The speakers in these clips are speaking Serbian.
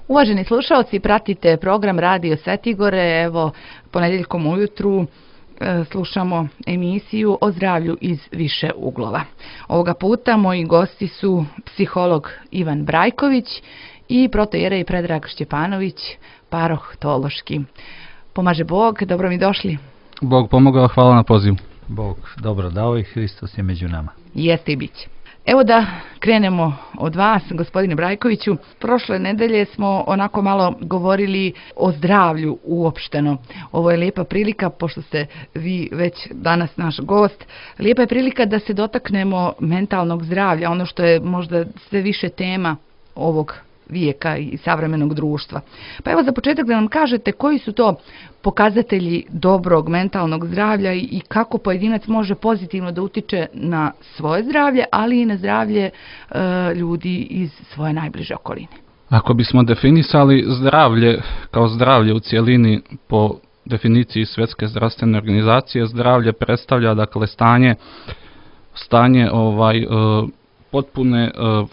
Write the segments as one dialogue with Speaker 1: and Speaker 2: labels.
Speaker 1: Uvaženi slušalci, pratite program Radio Svetigore. Evo, ponedjeljkom ujutru slušamo emisiju o zdravlju iz više uglova. Ovoga puta moji gosti su psiholog Ivan Brajković i protoijerej Predrag Šćepanović, paroh teološki. Pomaže Bog, dobro mi došli.
Speaker 2: Bog pomogao, hvala na pozivu.
Speaker 3: Bog dobro dao i Hristos je među nama.
Speaker 1: Jeste i biće. Evo da krenemo od vas, gospodine Brajkoviću. Prošle nedelje smo onako malo govorili o zdravlju uopšteno. Ovo je lijepa prilika, pošto ste vi već danas naš gost, lijepa je prilika da se dotaknemo mentalnog zdravlja, ono što je možda sve više tema ovog vijeka i savremenog društva. Pa evo za početak da nam kažete koji su to pokazatelji dobrog mentalnog zdravlja i kako pojedinac može pozitivno da utiče na svoje zdravlje, ali i na zdravlje ljudi iz svoje najbliže okoline.
Speaker 2: Ako bismo definisali zdravlje kao zdravlje u cjelini po definiciji Svjetske zdravstvene organizacije, zdravlje predstavlja dakle stanje potpune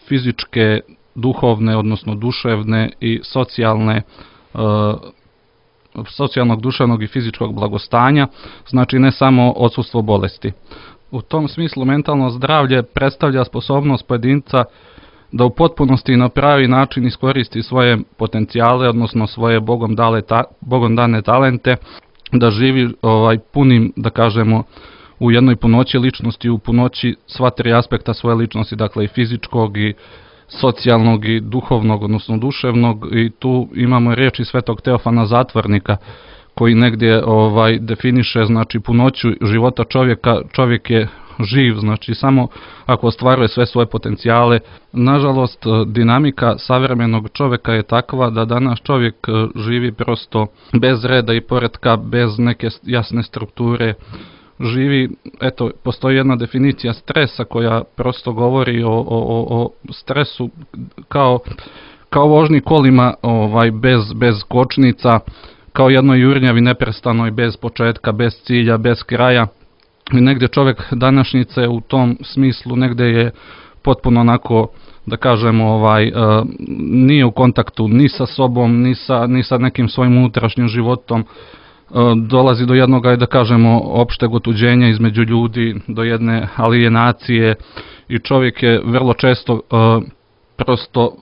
Speaker 2: fizičke, duhovne, odnosno duševne i socijalnog, duševnog i fizičkog blagostanja, znači ne samo odsustvo bolesti. U tom smislu mentalno zdravlje predstavlja sposobnost pojedinca da u potpunosti na pravi način iskoristi svoje potencijale, odnosno svoje Bogom dane talente, da živi punim, da kažemo, u jednoj punoći ličnosti, u punoći sva tri aspekta svoje ličnosti, dakle i fizičkog i socijalnog i duhovnog, odnosno duševnog, i tu imamo riječi svetog Teofana Zatvornika koji negdje definiše znači punoću života čovjeka. Čovjek je živ, znači samo ako ostvaruje sve svoje potencijale. Nažalost, dinamika savremenog čovjeka je takva da danas čovjek živi prosto bez reda i poretka, bez neke jasne strukture. Živi, eto, postoji jedna definicija stresa koja prosto govori o stresu kao vožnji kolima bez kočnica, kao jednoj jurnjavi neprestanoj, bez početka, bez cilja, bez kraja. I negdje čovjek današnjice u tom smislu negdje je potpuno onako, da kažemo, nije u kontaktu ni sa sobom, ni sa nekim svojim unutrašnjim životom. Dolazi do jednog, da kažemo, opšteg otuđenja između ljudi, do jedne alijenacije i čovjek je vrlo često prosto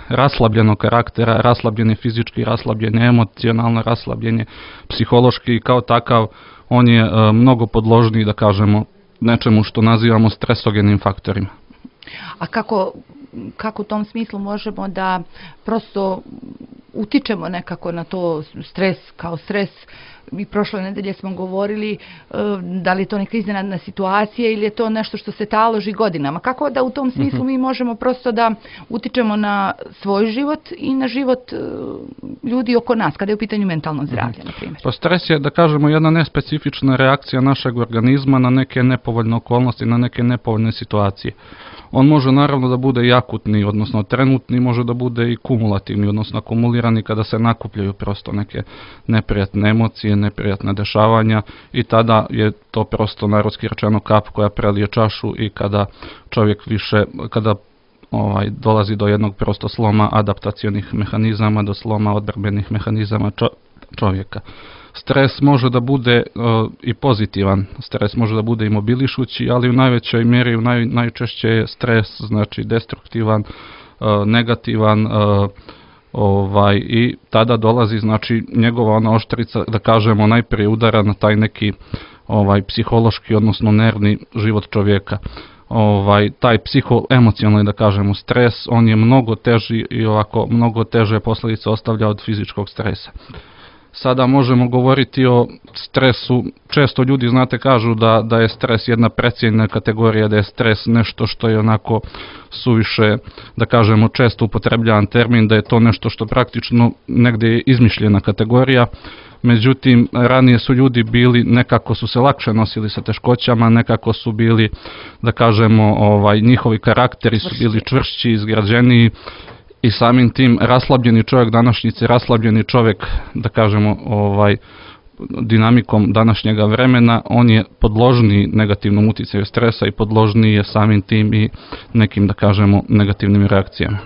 Speaker 2: raslabljenog karaktera, raslabljen je fizički, raslabljen je emocionalno, raslabljen je psihološki i kao takav on je mnogo podložniji, da kažemo, nečemu što nazivamo stresogenim faktorima.
Speaker 1: A kako u tom smislu možemo da prosto utičemo nekako na to stres kao stres? I prošle nedelje smo govorili da li je to neka iznenadna situacija ili je to nešto što se taloži godinama. Kako da u tom smislu mi možemo prosto da utičemo na svoj život i na život ljudi oko nas, kada je u pitanju mentalno zdravlje, na primjer?
Speaker 2: Pa stres je, da kažemo, jedna nespecifična reakcija našeg organizma na neke nepovoljne okolnosti, na neke nepovoljne situacije. On može naravno da bude i akutni, odnosno trenutni, može da bude i kumulativni, odnosno akumulirani kada se nakupljaju prosto neke neprijatne emocije, neprijatne dešavanja i tada je to prosto narodski rečeno kap koja prelije čašu i kada čovjek kada dolazi do jednog prosto sloma adaptacionih mehanizama, do sloma odbrambenih mehanizama čovjeka. Stres može da bude i pozitivan, stres može da bude i mobilišući, ali u najvećoj mjeri, najčešće je stres, znači destruktivan, negativan, i tada dolazi, znači, njegova ona oštrica, da kažemo, najprije udara na taj neki psihološki, odnosno nervni život čovjeka. Taj psihoemocionalni, da kažemo, stres, on je mnogo teži i ovako mnogo teže posljedice ostavlja od fizičkog stresa. Sada možemo govoriti o stresu. Često ljudi, znate, kažu da je stres jedna precijenjena kategorija, da je stres nešto što je onako suviše, da kažemo, često upotrebljavan termin, da je to nešto što praktično negdje je izmišljena kategorija. Međutim, ranije su ljudi bili, nekako su se lakše nosili sa teškoćama, nekako su bili, da kažemo, njihovi karakteri su bili čvršći, izgrađeniji. I samim tim raslabljeni čovjek današnjice, raslabljeni čovjek, da kažemo, dinamikom današnjega vremena, on je podložniji negativnom utjecaju stresa i podložniji je samim tim i nekim, da kažemo, negativnim reakcijama.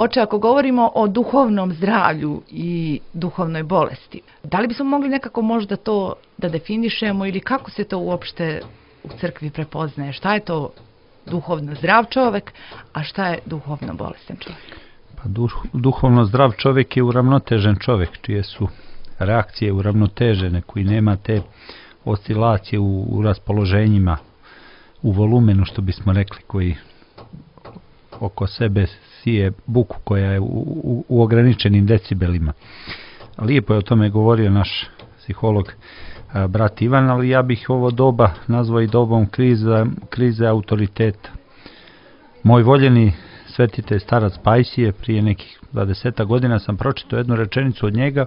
Speaker 1: Oče, ako govorimo o duhovnom zdravlju i duhovnoj bolesti, da li bismo mogli nekako možda to da definišemo ili kako se to uopšte u crkvi prepoznaje? Šta je to duhovno zdrav čovjek, a šta je duhovno bolestan čovjek?
Speaker 3: Pa duhovno zdrav čovjek je uravnotežen čovjek, čije su reakcije uravnotežene, koji nema te oscilacije u raspoloženjima, u volumenu, što bismo rekli, koji oko sebe sije buku koja je u ograničenim decibelima. Lijepo je o tome govorio naš psiholog brat Ivan, ali ja bih ovo doba nazvao i dobom krize autoriteta. Moj voljeni svetitelj starac Pajsije, prije nekih 20 godina sam pročitao jednu rečenicu od njega,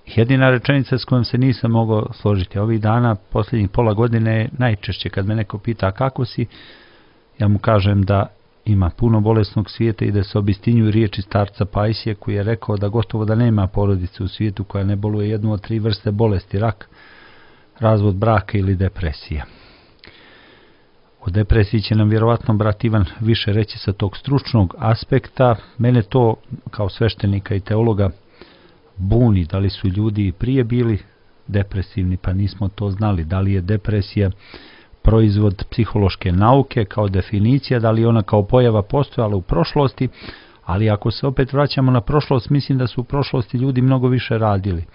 Speaker 3: jedina rečenica s kojom se nisam mogao složiti. Ovih dana, posljednjih pola godine, najčešće kad me neko pita kako si, ja mu kažem da ima puno bolesnog svijeta i da se obistinjuju riječi starca Pajsije, koji je rekao da gotovo da nema porodice u svijetu koja ne boluje jednu od 3 vrste bolesti: rak, razvod braka ili depresija. O depresiji će nam vjerovatno brat Ivan više reći sa tog stručnog aspekta. Mene to kao sveštenika i teologa buni, da li su ljudi prije bili depresivni pa nismo to znali, da li je depresija proizvod psihološke nauke kao definicija, da li ona kao pojava postojala u prošlosti, ali ako se opet vraćamo na prošlost, mislim da su u prošlosti ljudi mnogo više radili.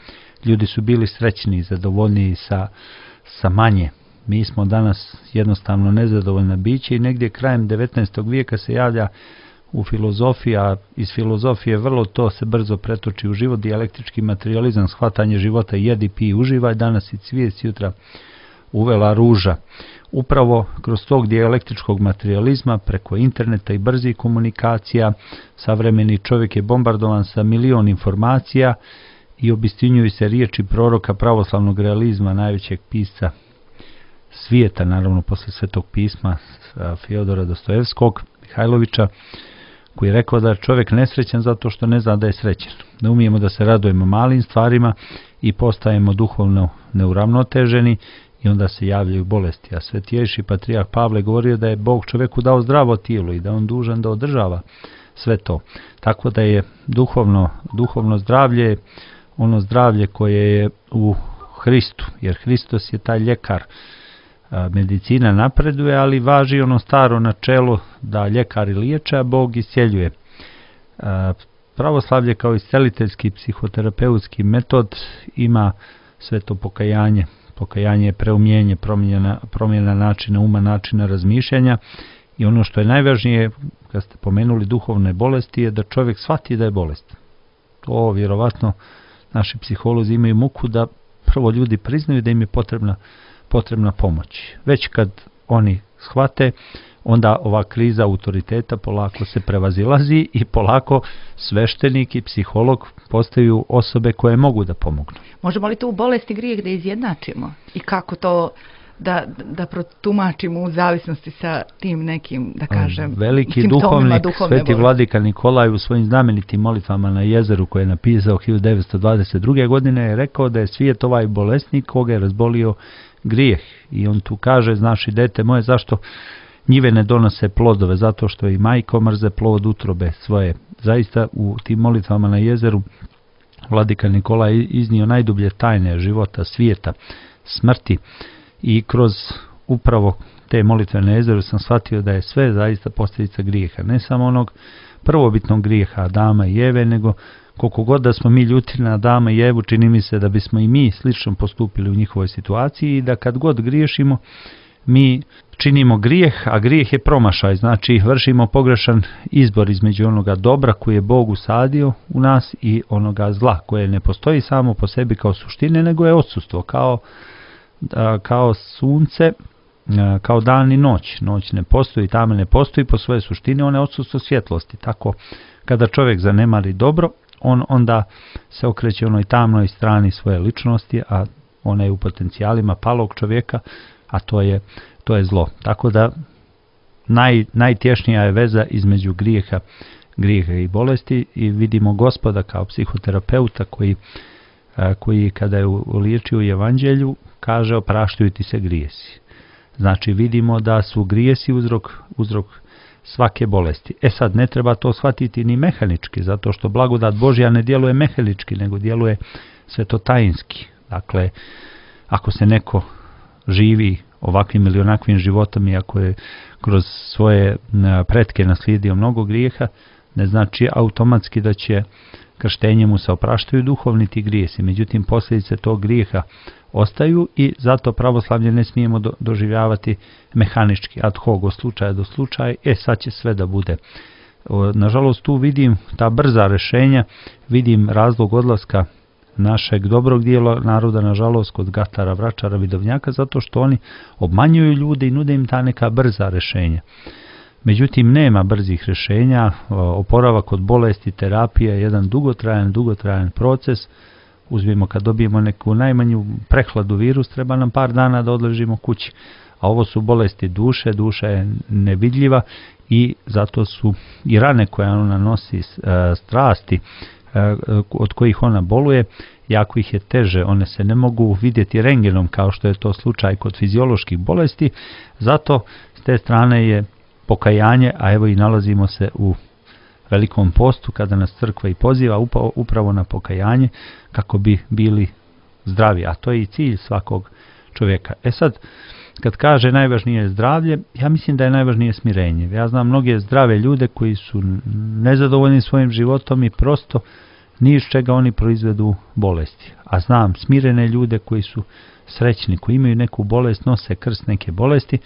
Speaker 3: Ljudi su bili srećni, zadovoljniji sa manje. Mi smo danas jednostavno nezadovoljna biće i negdje krajem 19. vijeka se javlja u filozofiji, a iz filozofije vrlo to se brzo pretoči u život, dijalektički materializam, shvatanje života, jedi, pij, uživaj, danas i cvijet, jutra uvela ruža. Upravo kroz tog dijalektičkog materializma, preko interneta i brzih komunikacija, savremeni čovjek je bombardovan sa milion informacija i obistinjuju se riječi proroka pravoslavnog realizma, najvećeg pisca svijeta, naravno posle Svetog pisma, Fjodora Dostojevskog, Mihajlovića, koji je rekao da je čovjek nesrećan zato što ne zna da je srećan. Ne umijemo da se radujemo malim stvarima i postajemo duhovno neuravnoteženi i onda se javljaju bolesti. A svetijejši patrijarh Pavle govorio da je Bog čovjeku dao zdravo tijelo i da on dužan da održava sve to. Tako da je duhovno zdravlje ono zdravlje koje je u Hristu, jer Hristos je taj ljekar. Medicina napreduje, ali važi ono staro načelo da ljekari liječe, a Bog iscijeljuje. Pravoslavlje kao isceliteljski psihoterapeutski metod ima sve to pokajanje. Pokajanje je preumljenje, promjena načina uma, načina razmišljanja i ono što je najvažnije, kad ste pomenuli duhovne bolesti, je da čovjek shvati da je bolest. To vjerovatno naši psiholozi imaju muku da prvo ljudi priznaju da im je potrebna pomoć. Već kad oni shvate, onda ova kriza autoriteta polako se prevazilazi i polako sveštenik i psiholog postaju osobe koje mogu da pomognu.
Speaker 1: Možemo li tu bolest i grijeh da izjednačimo? I kako to da protumačimo u zavisnosti sa tim nekim, da kažem,
Speaker 3: veliki duhovnik, sveti vladika Nikolaj u svojim znamenitim molitvama na jezeru koje je napisao 1922. godine je rekao da je svijet ovaj bolesnik koga je razbolio grijeh. I on tu kaže: znaš i dete moje, zašto njive ne donose plodove? Zato što i majko mrze plod utrobe svoje. Zaista u tim molitvama na jezeru vladika Nikolaj iznio najdublje tajne života, svijeta, smrti i kroz upravo te molitve na jezeru sam shvatio da je sve zaista posljedica grijeha. Ne samo onog prvobitnog grijeha Adama i Eve, nego koliko god da smo mi ljuti na Adama i Evu, čini mi se da bismo i mi slično postupili u njihovoj situaciji i da kad god griješimo, mi činimo grijeh, a grijeh je promašaj, znači vršimo pogrešan izbor između onoga dobra koje je Bog usadio u nas i onoga zla koje ne postoji samo po sebi kao suštine, nego je odsustvo, kao sunce, kao dan i noć. Noć ne postoji, tame ne postoji po svoje suštine, ona je odsustvo svjetlosti. Tako kada čovjek zanemari dobro, on onda se okreće onoj tamnoj strani svoje ličnosti, a ona je u potencijalima palog čovjeka, a to je zlo. Tako da najtješnija je veza između grijeha i bolesti i vidimo Gospoda kao psihoterapeuta koji kada je liječio u Evanđelju kaže: opraštaju ti se grijesi. Znači vidimo da su grijesi uzrok svake bolesti. Sad, ne treba to shvatiti ni mehanički, zato što blagodat Božja ne djeluje mehanički, nego djeluje svetotajinski. Dakle, ako se neko živi ovakvim ili onakvim životom i ako je kroz svoje pretke naslijedio mnogo grijeha, ne znači automatski da će krštenjem mu se opraštaju duhovni ti grijesi. Međutim, posljedice tog grijeha ostaju i zato pravoslavlje ne smijemo doživljavati mehanički, ad hoc, od slučaja do slučaja, sad će sve da bude. Nažalost, tu vidim ta brza rješenja, vidim razlog odlaska našeg dobrog dijela naroda, nažalost, kod gatara, vračara, vidovnjaka, zato što oni obmanjuju ljude i nude im ta neka brza rješenja. Međutim, nema brzih rješenja, oporavak od bolesti, terapija je jedan dugotrajan proces. Uzmimo, kad dobijemo neku najmanju prehladu virus, treba nam par dana da odležimo kući. A ovo su bolesti duše, duša je nevidljiva i zato su i rane koje ona nosi, strasti od kojih ona boluje, jako ih je teže, one se ne mogu vidjeti rentgenom kao što je to slučaj kod fizioloških bolesti, zato s te strane je pokajanje, a evo i nalazimo se u velikom postu kada nas crkva i poziva upravo na pokajanje kako bi bili zdravi, a to je i cilj svakog čovjeka. Sad, kad kaže najvažnije je zdravlje, ja mislim da je najvažnije smirenje. Ja znam mnoge zdrave ljude koji su nezadovoljni svojim životom i prosto ni iz čega oni proizvedu bolesti. A znam smirene ljude koji su srećni, koji imaju neku bolest, nose krst neke bolesti,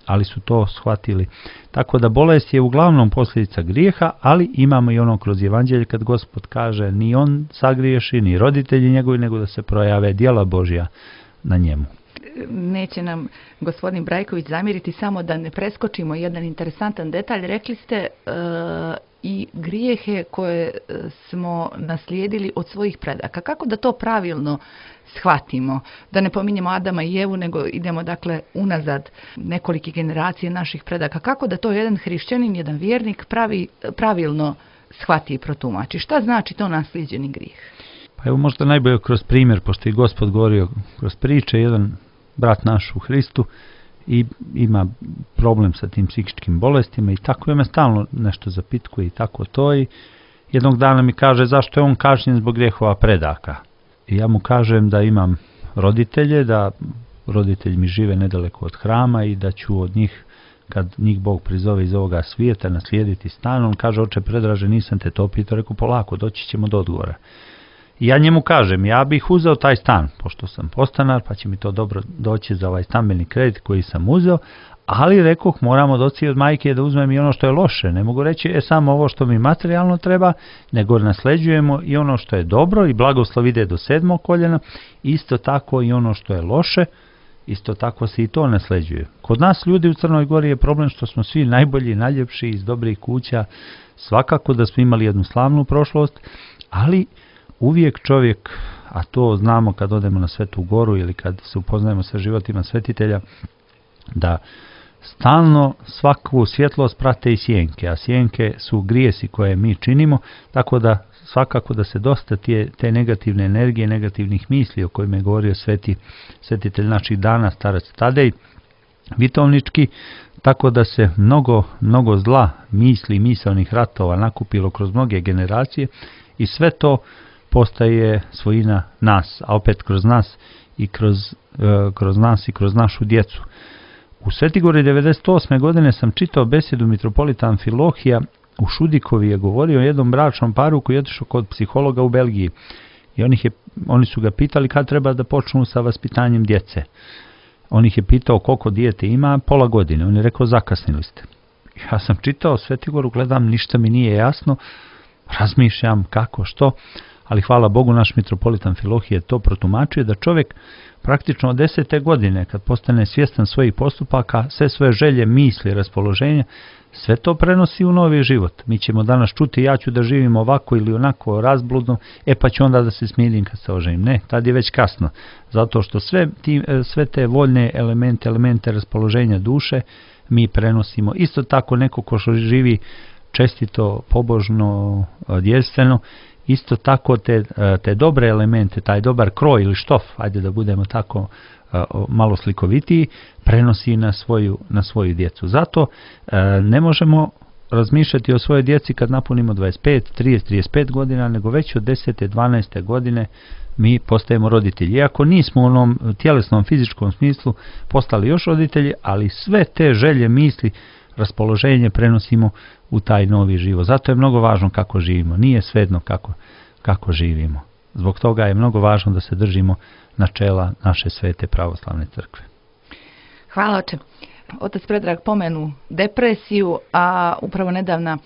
Speaker 3: ali su to shvatili. Tako da bolest je uglavnom posljedica grijeha, ali imamo i ono kroz evanđelje kad Gospod kaže ni on sagriješi, ni roditelji njegovi, nego da se projave djela Božja na njemu.
Speaker 1: Neće nam gospodin Brajković zamjeriti, samo da ne preskočimo jedan interesantan detalj. Rekli ste i grijehe koje smo naslijedili od svojih predaka. Kako da to pravilno shvatimo? Da ne pominjemo Adama i Evu, nego idemo dakle unazad nekolike generacije naših predaka. Kako da to jedan hrišćanin, jedan vjernik pravilno shvati i protumači? Šta znači to naslijeđeni grijeh?
Speaker 3: Pa evo možda najbolje kroz primjer, pošto je Gospod govorio kroz priče, jedan brat naš u Hristu i ima problem sa tim psihičkim bolestima i tako je me stalno nešto zapitkuje i tako to i jednog dana mi kaže zašto je on kažnjen zbog grijehova predaka. I ja mu kažem da imam roditelje, da roditelji mi žive nedaleko od hrama i da ću od njih, kad njih Bog prizove iz ovoga svijeta, naslijediti stan. On kaže, oče Predraže, nisam te to pitao, rekao polako, doći ćemo do odgovora. I ja njemu kažem, ja bih uzeo taj stan, pošto sam podstanar, pa će mi to dobro doći za ovaj stambeni kredit koji sam uzeo, ali rekoh, moramo doći od majke da uzmem i ono što je loše. Ne mogu reći, samo ovo što mi materijalno treba, nego nasleđujemo i ono što je dobro i blagoslov ide do 7. koljena, isto tako i ono što je loše, isto tako se i to nasleđuje. Kod nas ljudi u Crnoj Gori je problem što smo svi najbolji, najljepši iz dobrih kuća, svakako da smo imali jednu slavnu prošlost, ali uvijek čovjek, a to znamo kad odemo na Svetu Goru ili kad se upoznajemo sa životima svetitelja, da stalno svaku svjetlost prate i sjenke, a sjenke su grijesi koje mi činimo, tako da svakako da se dosta te negativne energije, negativnih misli o kojima je govorio svetitelj naših dana, starac Tadej Vitovnički, tako da se mnogo zla misli i misaonih ratova nakupilo kroz mnoge generacije i sve to postaje svojina nas, a opet kroz nas i kroz nas i kroz našu djecu. U Svetigori 98. godine sam čitao besedu mitropolita Amfilohija u Šudikovi, je govorio o jednom bračnom paru koji je otišao kod psihologa u Belgiji i oni su ga pitali kad treba da počnu sa vaspitanjem djece. On ih je pitao koliko dijete ima, pola godine. On je rekao zakasnili ste. Ja sam čitao Svetigoru, gledam, ništa mi nije jasno, razmišljam kako, što, ali hvala Bogu naš mitropolit Amfilohije to protumačio da čovjek praktično od 10. godine kad postane svjestan svojih postupaka, sve svoje želje, misli, raspoloženja, sve to prenosi u novi život. Mi ćemo danas čuti ja ću da živim ovako ili onako razbludno, pa ću onda da se smirim kad se oženim. Ne, tad je već kasno. Zato što sve te voljne elemente raspoloženja duše mi prenosimo. Isto tako neko ko živi čestito, pobožno, djelstveno, isto tako te dobre elemente, taj dobar kroj ili štof, ajde da budemo tako malo slikovitiji, prenosi na svoju djecu. Zato ne možemo razmišljati o svojoj djeci kad napunimo 25, 30, 35 godina, nego već od 10. 12. godine mi postajemo roditelji. Iako nismo u onom tjelesnom, fizičkom smislu postali još roditelji, ali sve te želje, misli, raspoloženje prenosimo u taj novi život. Zato je mnogo važno kako živimo. Nije svejedno kako živimo. Zbog toga je mnogo važno da se držimo načela naše svete pravoslavne crkve.
Speaker 1: Hvala, oče. Otac Predrag pomenu depresiju, a upravo nedavna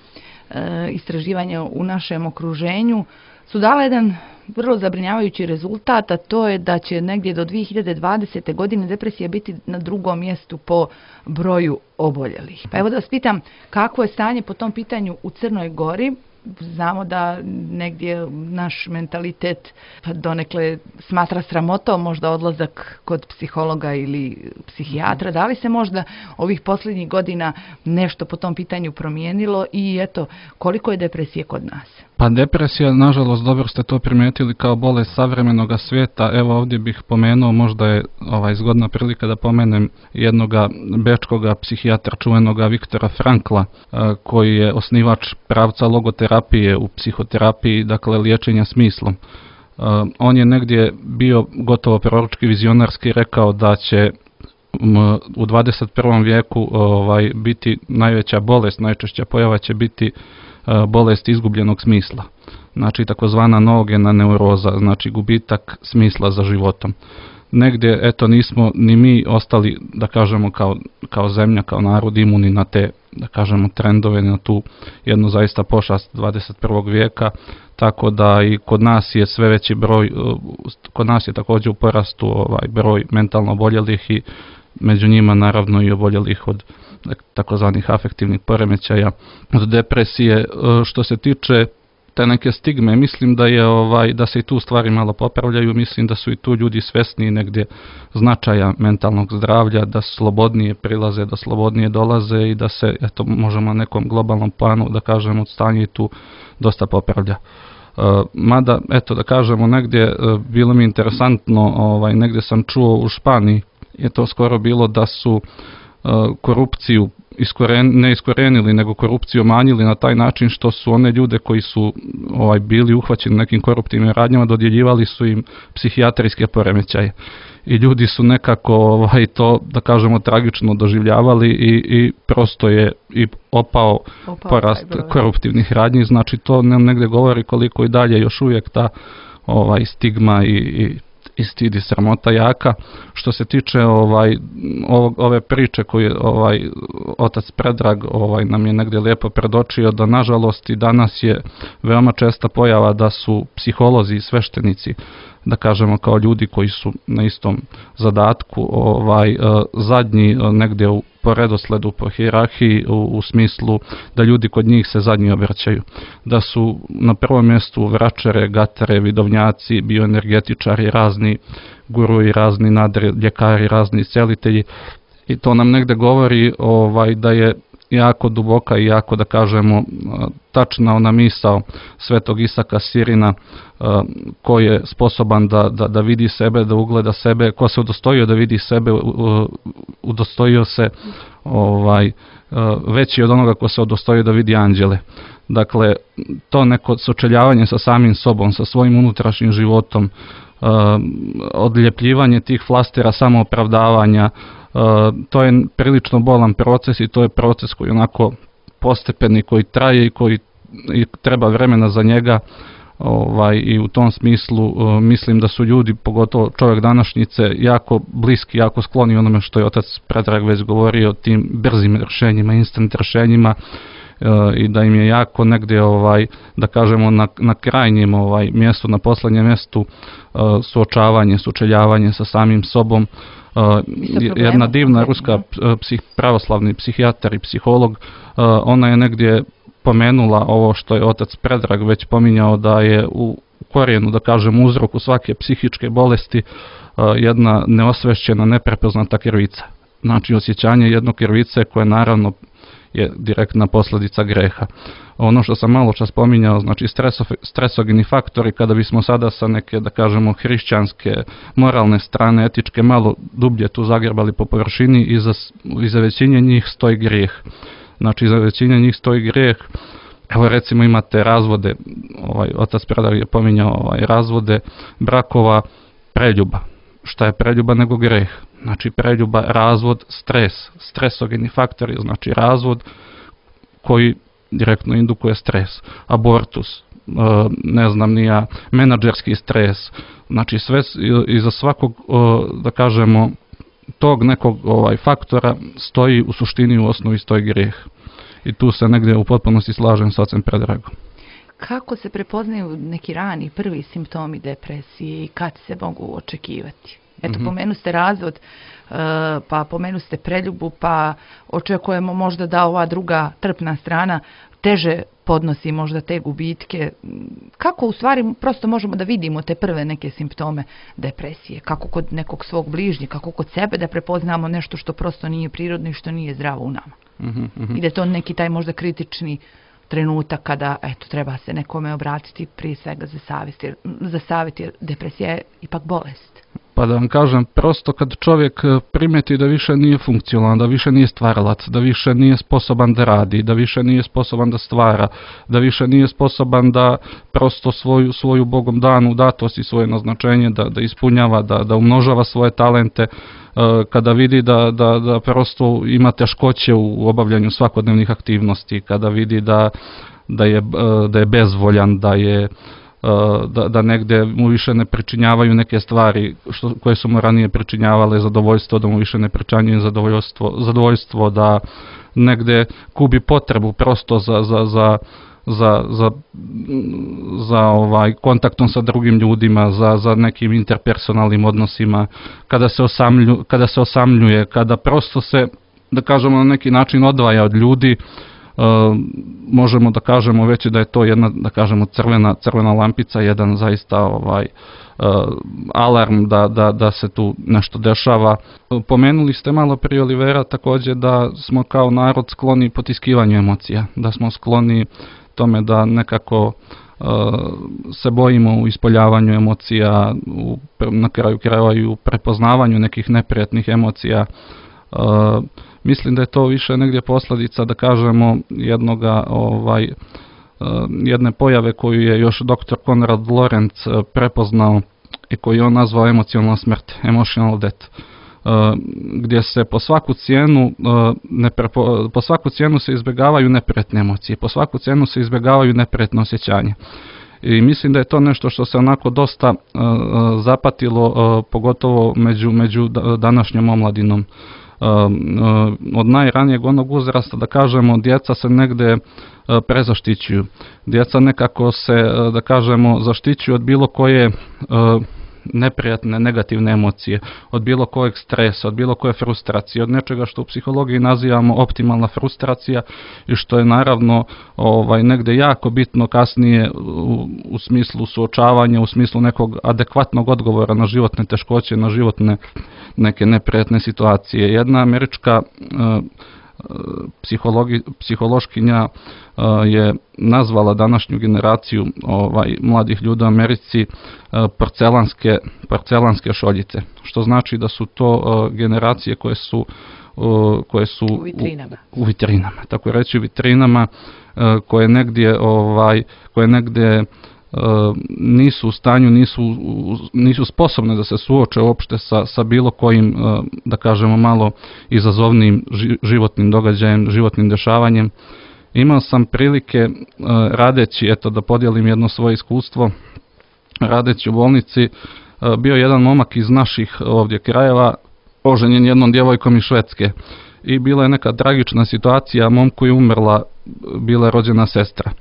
Speaker 1: istraživanja u našem okruženju su dala jedan vrlo zabrinjavajući rezultat, a to je da će negdje do 2020. godine depresija biti na drugom mjestu po broju oboljelih. Pa evo da vas pitam, kako je stanje po tom pitanju u Crnoj Gori? Znamo da negdje naš mentalitet donekle smatra sramotom, možda odlazak kod psihologa ili psihijatra. Da li se možda ovih posljednjih godina nešto po tom pitanju promijenilo i eto, koliko je depresije kod nas?
Speaker 2: Pa depresija, nažalost, dobro ste to primijetili kao bolest savremenog svijeta. Evo ovdje bih pomenuo, možda je zgodna prilika da pomenem jednoga bečkoga psihijatra čuvenoga Viktora Frankla, koji je osnivač pravca logoterapije u psihoterapiji, dakle liječenja smislom. On je negdje bio gotovo proročki vizionarski rekao da će u 21. vijeku biti najveća bolest, najčešća pojava će biti bolest izgubljenog smisla. Znači takozvana noogena neuroza, znači gubitak smisla za životom. Negdje, eto, nismo ni mi ostali, da kažemo, kao zemlja, kao narod imuni na te, da kažemo, trendove, na tu jednu zaista pošast 21. vijeka, tako da i kod nas je sve veći broj, kod nas je također u porastu broj mentalno oboljelih i među njima naravno i oboljelih od takozvanih afektivnih poremećaja, od depresije. Što se tiče te neke stigme, mislim da je da se i tu stvari malo popravljaju, mislim da su i tu ljudi svesni negdje značaja mentalnog zdravlja, da slobodnije prilaze, da slobodnije dolaze i da se, eto, možemo na nekom globalnom planu, da kažemo, stanje i tu dosta popravlja. Mada, eto, da kažemo, negdje bilo mi interesantno, negdje sam čuo u Španiji, je to skoro bilo da su korupciju ne iskorenili, nego korupciju manjili na taj način što su one ljude koji su bili uhvaćeni nekim koruptivnim radnjama, dodjeljivali su im psihijatrijske poremećaje. I ljudi su nekako to, da kažemo, tragično doživljavali i prosto je i opao porast koruptivnih radnji. Znači to nam negdje govori koliko i dalje još uvijek ta stigma i stid i sramota jaka. Što se tiče ove priče koju otac Predrag nam je negdje lijepo predočio, da nažalost i danas je veoma česta pojava da su psiholozi i sveštenici, da kažemo, kao ljudi koji su na istom zadatku, zadnji negdje po redosledu, po hijerarhiji, u smislu da ljudi kod njih se zadnji obraćaju. Da su na prvom mjestu vračare, gatare, vidovnjaci, bioenergetičari, razni guruji, razni nadljekari, razni iscelitelji. I to nam negdje govori da je jako duboka i jako, da kažemo, tačna ona misao svetog Isaka Sirina, ko je sposoban da vidi sebe, da ugleda sebe, ko se udostojio da vidi sebe, udostojio se veći od onoga ko se udostojio da vidi anđele. Dakle, to neko sučeljavanje sa samim sobom, sa svojim unutrašnjim životom, odljepljivanje tih flastera samoopravdavanja, to je prilično bolan proces i to je proces koji onako postepeni, koji traje i koji treba vremena za njega, i u tom smislu mislim da su ljudi, pogotovo čovjek današnjice, jako bliski, jako skloni onome što je otac Predrag već govorio, tim brzim rješenjima, instant rješenjima, i da im je jako negdje, da kažemo, na krajnjem mjestu, na posljednjem mjestu suočavanje, sučeljavanje sa samim sobom. Jedna divna ruska pravoslavni psihijatar i psiholog, ona je negdje pomenula ovo što je otac Predrag već pominjao, da je u korijenu, da kažem, uzroku svake psihičke bolesti jedna neosvešćena, neprepoznata krivica. Znači osjećanje jednog krivice koje naravno je direktna posljedica greha. Ono što sam malo čas spominjao, znači stresogeni faktori, kada bismo sada sa neke, da kažemo, hrišćanske, moralne strane, etičke, malo dublje tu zagrebali po površini, iza većine njih stoji grijeh. Znači iza većine njih stoji grijeh. Evo recimo imate razvode, otac Predrag je pominjao razvode brakova, preljuba. Šta je preljuba nego greh? Znači preljuba, razvod, stres, stresogeni faktori, znači razvod koji direktno indukuje stres, abortus, ne znam ni ja, menadžerski stres, znači sve iza svakog, da kažemo, tog nekog faktora stoji u suštini, u osnovi stoji grijeh. I tu se negdje u potpunosti slažem s ocem Predragom.
Speaker 1: Kako se prepoznaju neki rani prvi simptomi depresije i kad se mogu očekivati? Eto, pomenu ste razvod, pa pomenu ste preljubu, pa očekujemo možda da ova druga trpna strana teže podnosi možda te gubitke. Kako u stvari prosto možemo da vidimo te prve neke simptome depresije? Kako kod nekog svog bližnjeg, kako kod sebe da prepoznamo nešto što prosto nije prirodno i što nije zdravo u nama? I da je to neki taj možda kritični trenutak kada treba se nekome obratiti prije svega za savjet, jer depresija je ipak bolest.
Speaker 2: Pa da vam kažem, prosto kad čovjek primeti da više nije funkcionalan, da više nije stvaralac, da više nije sposoban da radi, da više nije sposoban da stvara, da više nije sposoban da prosto svoju Bogom danu datost i svoje naznačenje da ispunjava, da umnožava svoje talente, kada vidi da prosto ima teškoće u obavljanju svakodnevnih aktivnosti, kada vidi da je bezvoljan, da negdje mu više ne pričinjavaju neke stvari koje su mu ranije pričinjavale zadovoljstvo, da mu više ne pričinjaju zadovoljstvo, da negdje gubi potrebu prosto za kontaktom sa drugim ljudima, za nekim interpersonalnim odnosima, kada se osamljuje, kada prosto se, da kažemo, na neki način odvaja od ljudi. Možemo da kažemo već da je to jedna, da kažemo, crvena lampica, jedan zaista alarm da se tu nešto dešava. Pomenuli ste malo prije, Olivera, također da smo kao narod skloni potiskivanju emocija, da smo skloni tome da nekako se bojimo u ispoljavanju emocija, na kraju krajeva i u prepoznavanju nekih neprijatnih emocija. Mislim da je to više negdje posljedica, da kažemo, jedne pojave koju je još dr. Konrad Lorenz prepoznao i koju je on nazvao emocionalna smrt, emotional death, gdje se po svaku cijenu se izbjegavaju neprijatne emocije, po svaku cijenu se izbjegavaju neprijatne osjećanja. I mislim da je to nešto što se onako dosta zapatilo, pogotovo među današnjom omladinom. Od najranijeg onog uzrasta, da kažemo, djeca se negdje prezaštićuju. Djeca nekako se, da kažemo, zaštićuju od bilo koje neprijatne, negativne emocije, od bilo kojeg stresa, od bilo koje frustracije, od nečega što u psihologiji nazivamo optimalna frustracija i što je naravno negdje jako bitno kasnije u smislu suočavanja, u smislu nekog adekvatnog odgovora na životne teškoće, na životne neke neprijatne situacije. Jedna američka psihološkinja je nazvala današnju generaciju mladih ljudi u Americi porcelanske šoljice, što znači da su to generacije koje su u vitrinama, tako reći u vitrinama, koje negdje nisu u stanju, nisu sposobne da se suoče uopšte sa bilo kojim, da kažemo, malo izazovnim životnim događajem, životnim dešavanjem. Imao sam prilike radeći, da podijelim jedno svoje iskustvo, radeći u bolnici, bio jedan momak iz naših ovdje krajeva, oženjen jednom djevojkom iz Švedske. I bila je neka tragična situacija, momku je umrla, bila je rođena sestra.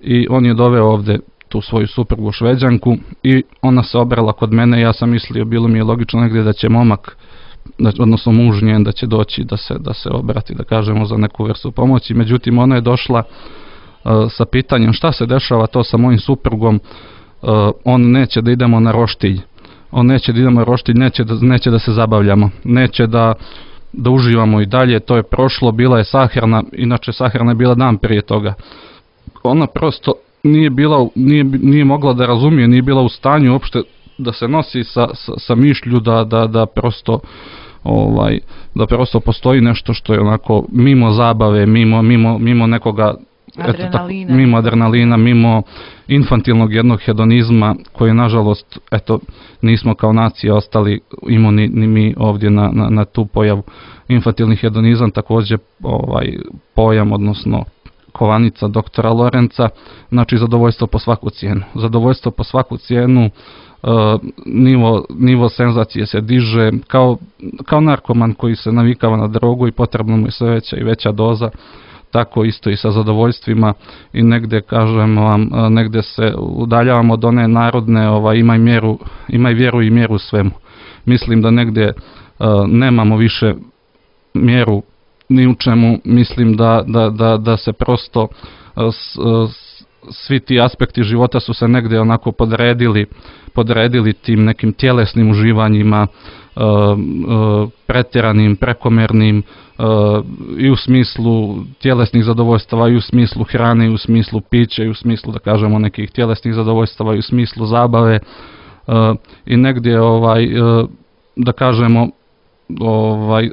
Speaker 2: I on je doveo ovdje tu svoju suprugu Šveđanku i ona se obrala kod mene. Ja sam mislio, bilo mi je logično negdje da će momak, odnosno muž njen, da će doći da se obrati, da kažemo, za neku vrstu pomoći. Međutim, ona je došla sa pitanjem šta se dešava to sa mojim suprugom. On neće da idemo na roštilj, neće da se zabavljamo, neće da uživamo i dalje. To je prošlo, bila je sahrana, inače sahrana je bila dan prije toga. Ona prosto nije mogla da razumije, nije bila u stanju uopšte da se nosi sa mišlju da prosto da prosto postoji nešto što je onako mimo zabave, mimo nekoga
Speaker 1: adrenalina.
Speaker 2: Mimo adrenalina, mimo infantilnog jednog hedonizma koji nažalost nismo kao nacija ostali imuni ni mi ovdje na tu pojavu. Infantilni hedonizam također pojam, odnosno kovanica doktora Lorenca, znači zadovoljstvo po svaku cijenu. Zadovoljstvo po svaku cijenu, nivo senzacije se diže, kao narkoman koji se navikava na drogu i potrebno mu je sve veća i veća doza, tako isto i sa zadovoljstvima i negdje, kažem vam, negdje se udaljavamo od one narodne imaj vjeru i mjeru svemu. Mislim da negdje nemamo više mjeru ni u čemu, mislim da se prosto svi ti aspekti života su se negdje onako podredili tim nekim tjelesnim uživanjima, pretjeranim, prekomernim, i u smislu tjelesnih zadovoljstava, i u smislu hrane, i u smislu pića, i u smislu, da kažemo, nekih tjelesnih zadovoljstava, i u smislu zabave, i negdje, da kažemo,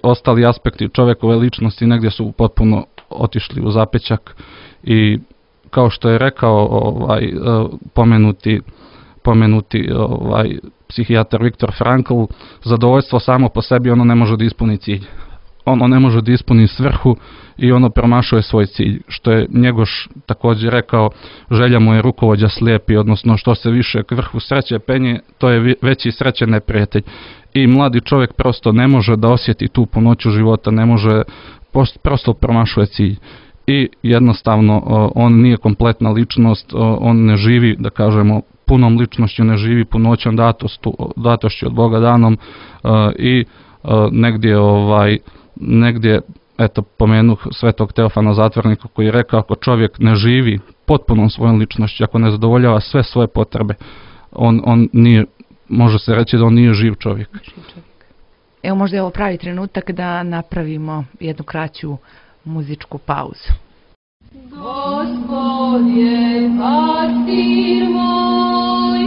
Speaker 2: ostali aspekti čovjekove ličnosti negdje su potpuno otišli u zapećak i kao što je rekao pomenuti psihijatar Viktor Frankl, zadovoljstvo samo po sebi ono ne može da ispuni cilj. Ono ne može da ispuni svrhu i ono promašuje svoj cilj. Što je Njegoš također rekao, želja mu je rukovođa slijepi, odnosno što se više k vrhu sreće penje, to je veći sreće neprijatelj. I mladi čovjek prosto ne može da osjeti tu punoću života, ne može, prosto promašuje cilj. I jednostavno on nije kompletna ličnost, on ne živi, da kažemo, punom ličnošću, ne živi punoćom datošću od Boga danom i negdje eto, pomenuh svetog Teofana Zatvornika koji je rekao, ako čovjek ne živi potpunom svojom ličnošću, ako ne zadovoljava sve svoje potrebe, on nije, može se reći da on nije živ čovjek.
Speaker 1: Evo, možda je ovo pravi trenutak da napravimo jednu kraću muzičku pauzu.
Speaker 4: Gospod je pastir moj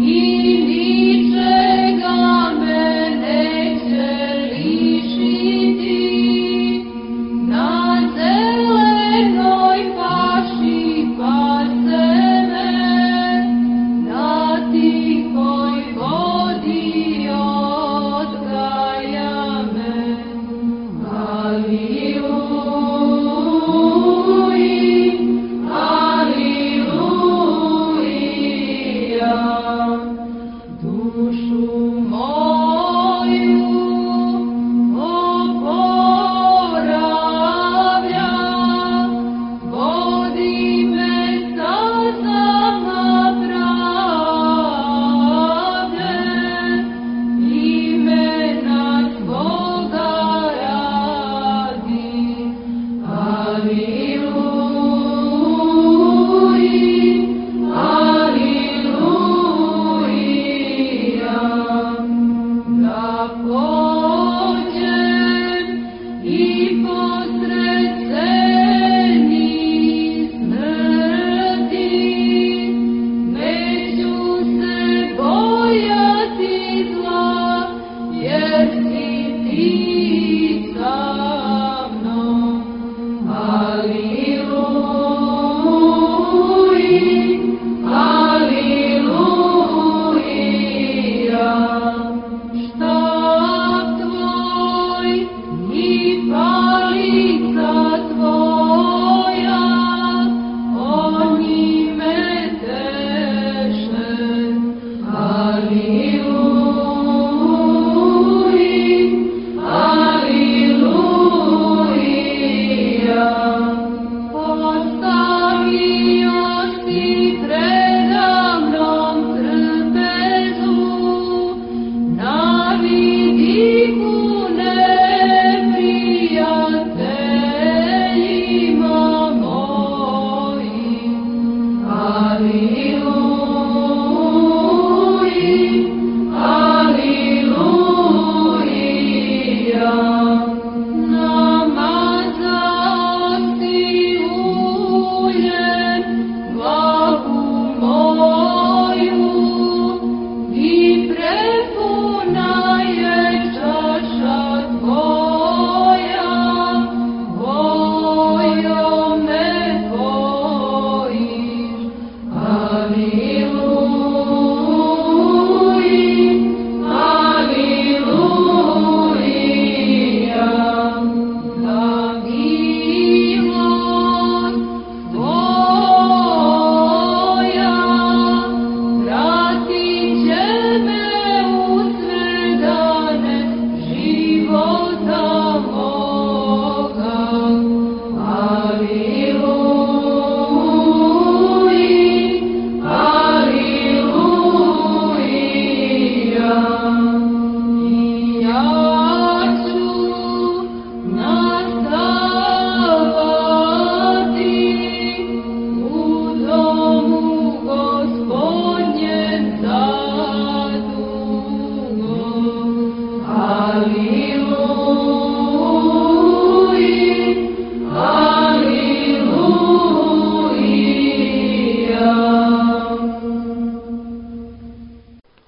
Speaker 4: i ničega me neće lišiti, na zelenoj paši pase me, na tihoj vodi odgaja me. Haleluja. Hallelujah.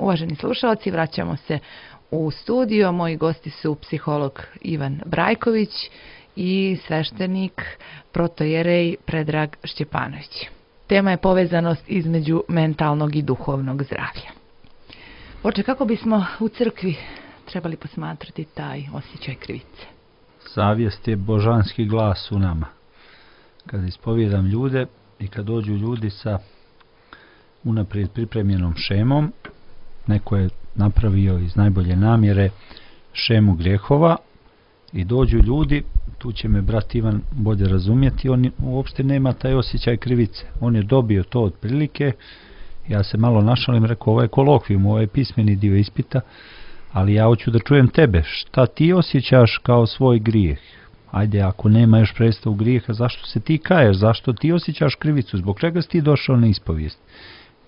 Speaker 1: Uvaženi slušalci, vraćamo se u studio. Moji gosti su psiholog Ivan Brajković i sveštenik protojerej Predrag Šćepanović. Tema je povezanost između mentalnog i duhovnog zdravlja. Oče, kako bismo u crkvi trebali posmatrati taj osjećaj krivice?
Speaker 3: Savjest je božanski glas u nama. Kad ispovijedam ljude i kad dođu ljudi sa unaprijed pripremljenom šemom, neko je napravio iz najbolje namjere šemu grijehova i dođu ljudi, tu će me brat Ivan bolje razumjeti, on uopšte nema taj osjećaj krivice. On je dobio to otprilike, ja se malo našalim, rekao ovo je kolokvijum, ovo je pismeni dio ispita, ali ja hoću da čujem tebe, šta ti osjećaš kao svoj grijeh? Ajde, ako nema još predstavu grijeha, zašto se ti kaješ, zašto ti osjećaš krivicu, zbog čega si ti došao na ispovijest?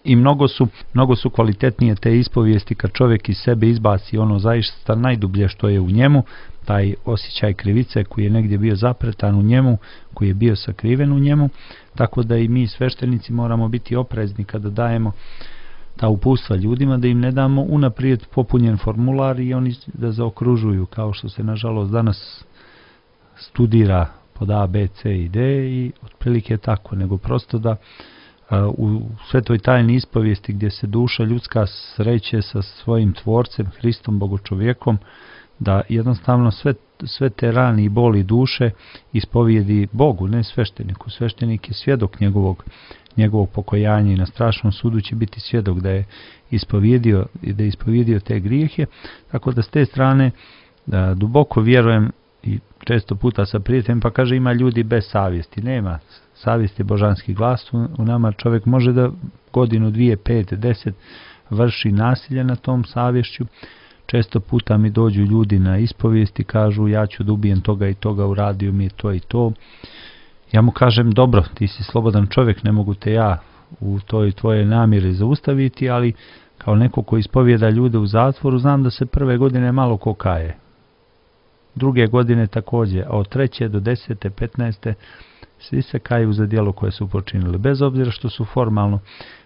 Speaker 3: I mnogo su kvalitetnije te ispovijesti kad čovjek iz sebe izbaci ono zaista najdublje što je u njemu, taj osjećaj krivice koji je negdje bio zapretan u njemu, koji je bio sakriven u njemu, tako da i mi sveštenici moramo biti oprezni kada dajemo ta uputstva ljudima, da im ne damo unaprijed popunjen formular i oni da zaokružuju, kao što se nažalost danas studira pod A, B, C i D i otprilike tako, nego prosto da u svetoj tajni ispovijesti gdje se duša ljudska sreće sa svojim tvorcem, Hristom, Bogočovjekom, da jednostavno sve te rani i boli duše ispovijedi Bogu, ne svešteniku. Sveštenik je svjedok njegovog pokojanja i na strašnom sudu će biti svjedok da je ispovjedio te grijehe, tako da s te strane duboko vjerujem i često puta sa prijateljem, pa kaže ima ljudi bez savjesti. Nema, savjest je božanski glas u nama, čovjek može da godinu, 2, 5, 10 vrši nasilje na tom savješću. Često puta mi dođu ljudi na ispovijest i kažu ja ću da ubijem toga i toga, uradio mi je to i to. Ja mu kažem dobro, ti si slobodan čovjek, ne mogu te ja u toj tvoje namjeri zaustaviti, ali kao neko ko ispovijeda ljude u zatvoru, znam da se prve godine malo ko kaje. Druge godine također, a od 3. do 10. 15. svi se kaju za djelo koje su počinili, bez obzira što su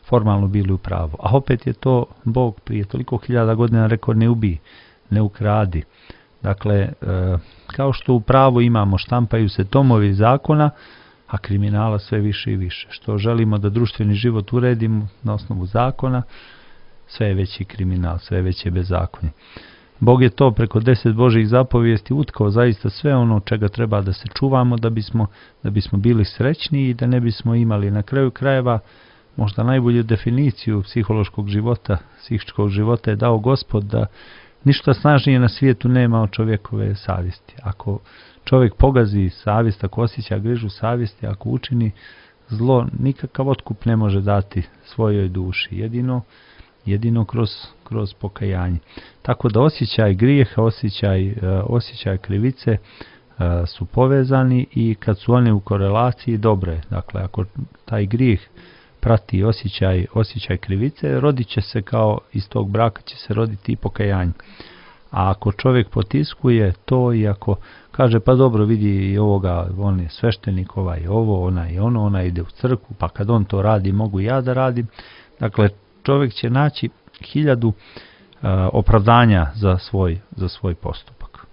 Speaker 3: formalno bili u pravu. A opet je to Bog prije toliko hiljada godina rekao ne ubij, ne ukradi. Dakle, kao što u pravu imamo, štampaju se tomovi zakona, a kriminala sve više i više. Što želimo da društveni život uredimo na osnovu zakona, sve je veći kriminal, sve je veće bezakonje. Bog je to preko 10 Božjih zapovijesti utkao zaista sve ono čega treba da se čuvamo da bismo bili srećni i da ne bismo imali na kraju krajeva možda najbolju definiciju psihološkog života, psihičkog života je dao Gospod da ništa snažnije na svijetu nema od čovjekove savjesti. Ako čovjek pogazi savjest, ako osjeća grižu savjesti, ako učini zlo, nikakav otkup ne može dati svojoj duši. Jedino kroz pokajanje. Tako da osjećaj grijeha, osjećaj krivice su povezani i kad su one u korelaciji dobre. Dakle, ako taj grijeh prati osjećaj krivice, rodit će se kao iz tog braka će se roditi i pokajanje. A ako čovjek potiskuje to i ako kaže pa dobro vidi i ovoga, on je sveštenik, ovaj ovo, ona ide u crkvu, pa kad on to radi mogu ja da radim. Dakle, čovjek će naći 1000 opravdanja za svoj postupak.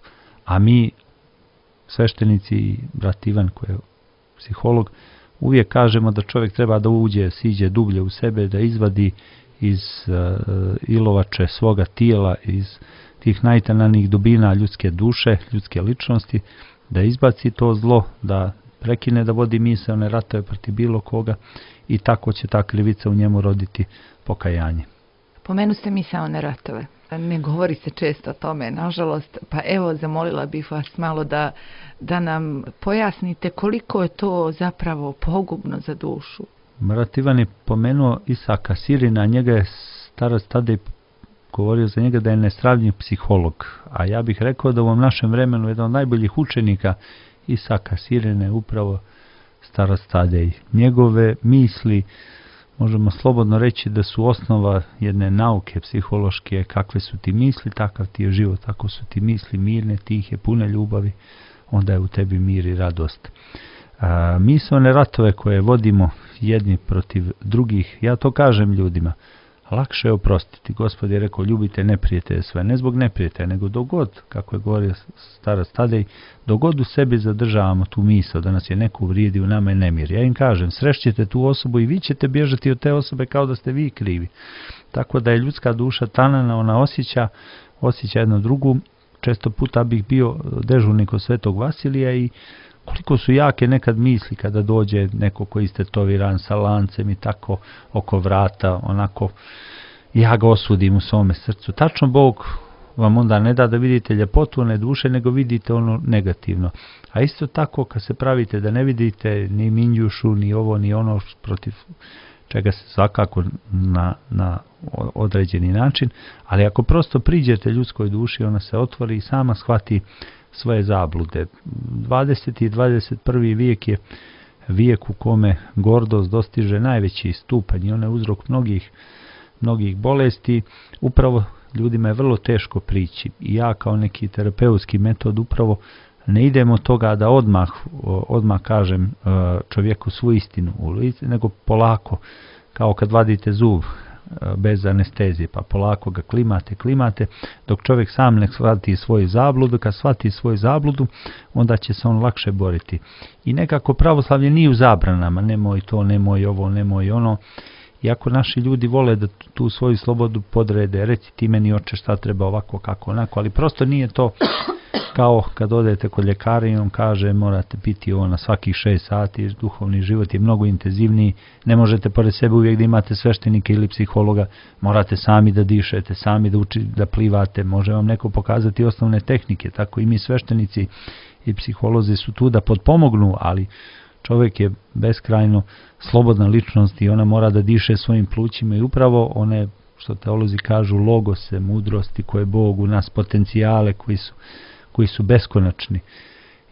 Speaker 3: A mi, sveštenici i brat Ivan koji je psiholog, uvijek kažemo da čovjek treba da siđe dublje u sebe, da izvadi iz ilovače svoga tijela, iz tih najtananijih dubina ljudske duše, ljudske ličnosti, da izbaci to zlo, da prekine da vodi misaone ratove protiv bilo koga i tako će ta krivica u njemu roditi pokajanje.
Speaker 1: Pomenu ste misaone ratove. Ne govori se često o tome, nažalost, pa evo zamolila bih vas malo da nam pojasnite koliko je to zapravo pogubno za dušu.
Speaker 3: Brat Ivan je pomenuo Isaka Sirina, njega je starac Tadej govorio za njega da je nesravnjiv psiholog, a ja bih rekao da u ovom našem vremenu jedan od najboljih učenika Isaka Sirina je upravo starac Tadej. Njegove misli, možemo slobodno reći da su osnova jedne nauke psihološke, kakve su ti misli, takav ti je život, ako su ti misli mirne, tihe, pune ljubavi, onda je u tebi mir i radost. Misaone ratove koje vodimo jedni protiv drugih, ja to kažem ljudima, lakše je oprostiti. Gospod je rekao, ljubite neprijatelje sve, ne zbog neprijatelja, nego dogod, kako je govorio starac Tadej, dogod u sebi zadržavamo tu misao da nas je neko uvrijedio, u nama je nemir. Ja im kažem, srešćete tu osobu i vi ćete bježati od te osobe kao da ste vi krivi. Tako da je ljudska duša tanana, ona osjeća jednu drugu. Često puta bih bio dežurnik od Svetog Vasilija i koliko su jake nekad misli kada dođe neko koji istetoviran sa lancem i tako oko vrata, onako ja ga osudim u svome srcu. Tačno Bog vam onda ne da vidite ljepotu one duše, nego vidite ono negativno. A isto tako kad se pravite da ne vidite ni minjušu, ni ovo, ni ono protiv čega se svakako na određeni način, ali ako prosto priđete ljudskoj duši, ona se otvori i sama shvati svoje zablude. 20. i 21. vijek je vijek u kome gordost dostiže najveći stupanj i ona je uzrok mnogih bolesti. Upravo ljudima je vrlo teško prići i ja kao neki terapeutski metod upravo ne idemo od toga da odmah kažem čovjeku svu istinu u lice, nego polako, kao kad vadite zub bez anestezije, pa polako ga klimate, dok čovjek sam ne shvati svoju zabludu. Kad shvati svoju zabludu, onda će se on lakše boriti. I nekako pravoslavlje nije u zabranama, nemoj to, nemoj ovo, nemoj ono. Iako naši ljudi vole da tu svoju slobodu podrede, reci ti meni oče šta treba ovako, kako onako, ali prosto nije to kao kad odete kod ljekara i on kaže morate piti ovo na svakih 6 sati, duhovni život je mnogo intenzivniji, ne možete pored sebe uvijek da imate sveštenike ili psihologa, morate sami da dišete, sami da plivate, može vam neko pokazati osnovne tehnike, tako i mi sveštenici i psiholozi su tu da potpomognu, ali čovjek je beskrajno slobodna ličnost i ona mora da diše svojim plućima i upravo one, što teolozi kažu, logose, mudrosti koje Bog u nas, potencijale koji su beskonačni.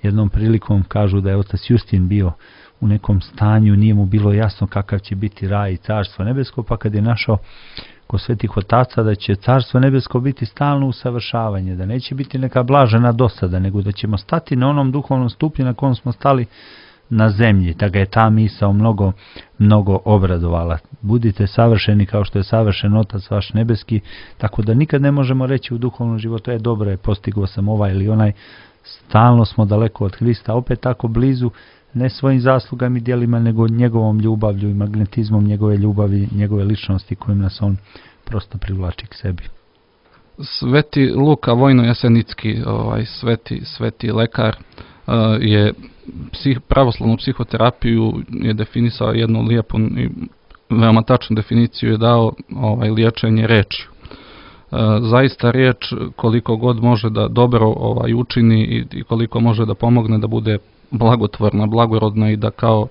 Speaker 3: Jednom prilikom kažu da je otac Justin bio u nekom stanju, nije mu bilo jasno kakav će biti raj i carstvo nebesko, pa kad je našao kod svetih otaca da će carstvo nebesko biti stalno usavršavanje, da neće biti neka blažena dosada, nego da ćemo stati na onom duhovnom stupnju na kom smo stali na zemlji, da ga je ta misao mnogo obradovala. Budite savršeni kao što je savršen Otac vaš nebeski, tako da nikad ne možemo reći u duhovnom životu, dobro je, postigao sam ovaj ili onaj, stalno smo daleko od Hrista, opet tako blizu, ne svojim zaslugama i djelima, nego njegovom ljubavlju i magnetizmom njegove ljubavi, njegove ličnosti kojim nas on prosto privlači k sebi.
Speaker 2: Sveti Luka Vojno-Jasenicki, sveti lekar, je pravoslavnu psihoterapiju je definisao jednu lijepu i veoma tačnu definiciju je dao liječenje rečju. Zaista riječ koliko god može da dobro učini i koliko može da pomogne da bude blagotvorna, blagorodna i da kao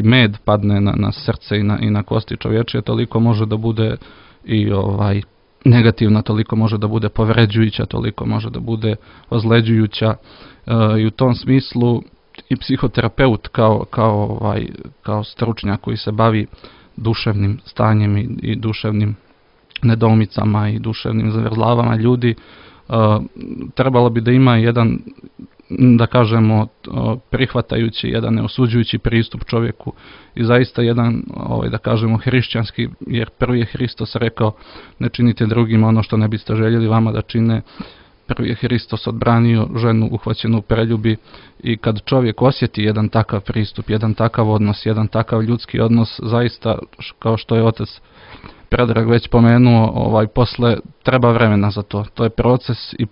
Speaker 2: med padne na srce i na kosti čovječije, toliko može da bude i negativna, toliko može da bude povređujuća, toliko može da bude ozleđujuća i u tom smislu i psihoterapeut kao stručnjak koji se bavi duševnim stanjem i duševnim nedoumicama i duševnim zavrzlavama ljudi, trebalo bi da ima jedan, da kažemo, prihvatajući, jedan neosuđujući pristup čovjeku i zaista jedan, da kažemo, hrišćanski, jer prvi je Hristos rekao ne činite drugima ono što ne biste željeli vama da čine. Prvi je Hristos odbranio ženu uhvaćenu u preljubi i kad čovjek osjeti jedan takav pristup, jedan takav odnos, jedan takav ljudski odnos, zaista, kao što je otac Predrag već pomenuo, posle treba vremena za to. To je proces i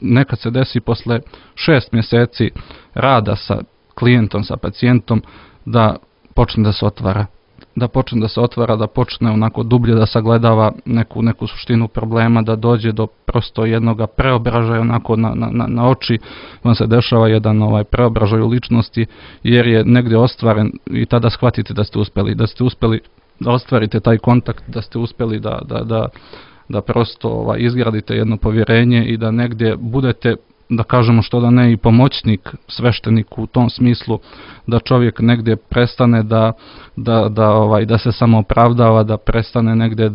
Speaker 2: nekad se desi posle 6 mjeseci rada sa klijentom, sa pacijentom, da počne da se otvara. Da počne onako dublje da sagledava neku suštinu problema, da dođe do prosto jednog preobražaja, onako na oči vam se dešava jedan preobražaj u ličnosti, jer je negdje ostvaren i tada shvatite da ste uspjeli da ostvarite taj kontakt, da ste uspjeli da prosto izgradite jedno povjerenje i da negdje budete, da kažemo što da ne, i pomoćnik svešteniku u tom smislu, da čovjek negdje prestane da se samo opravdava, da prestane negdje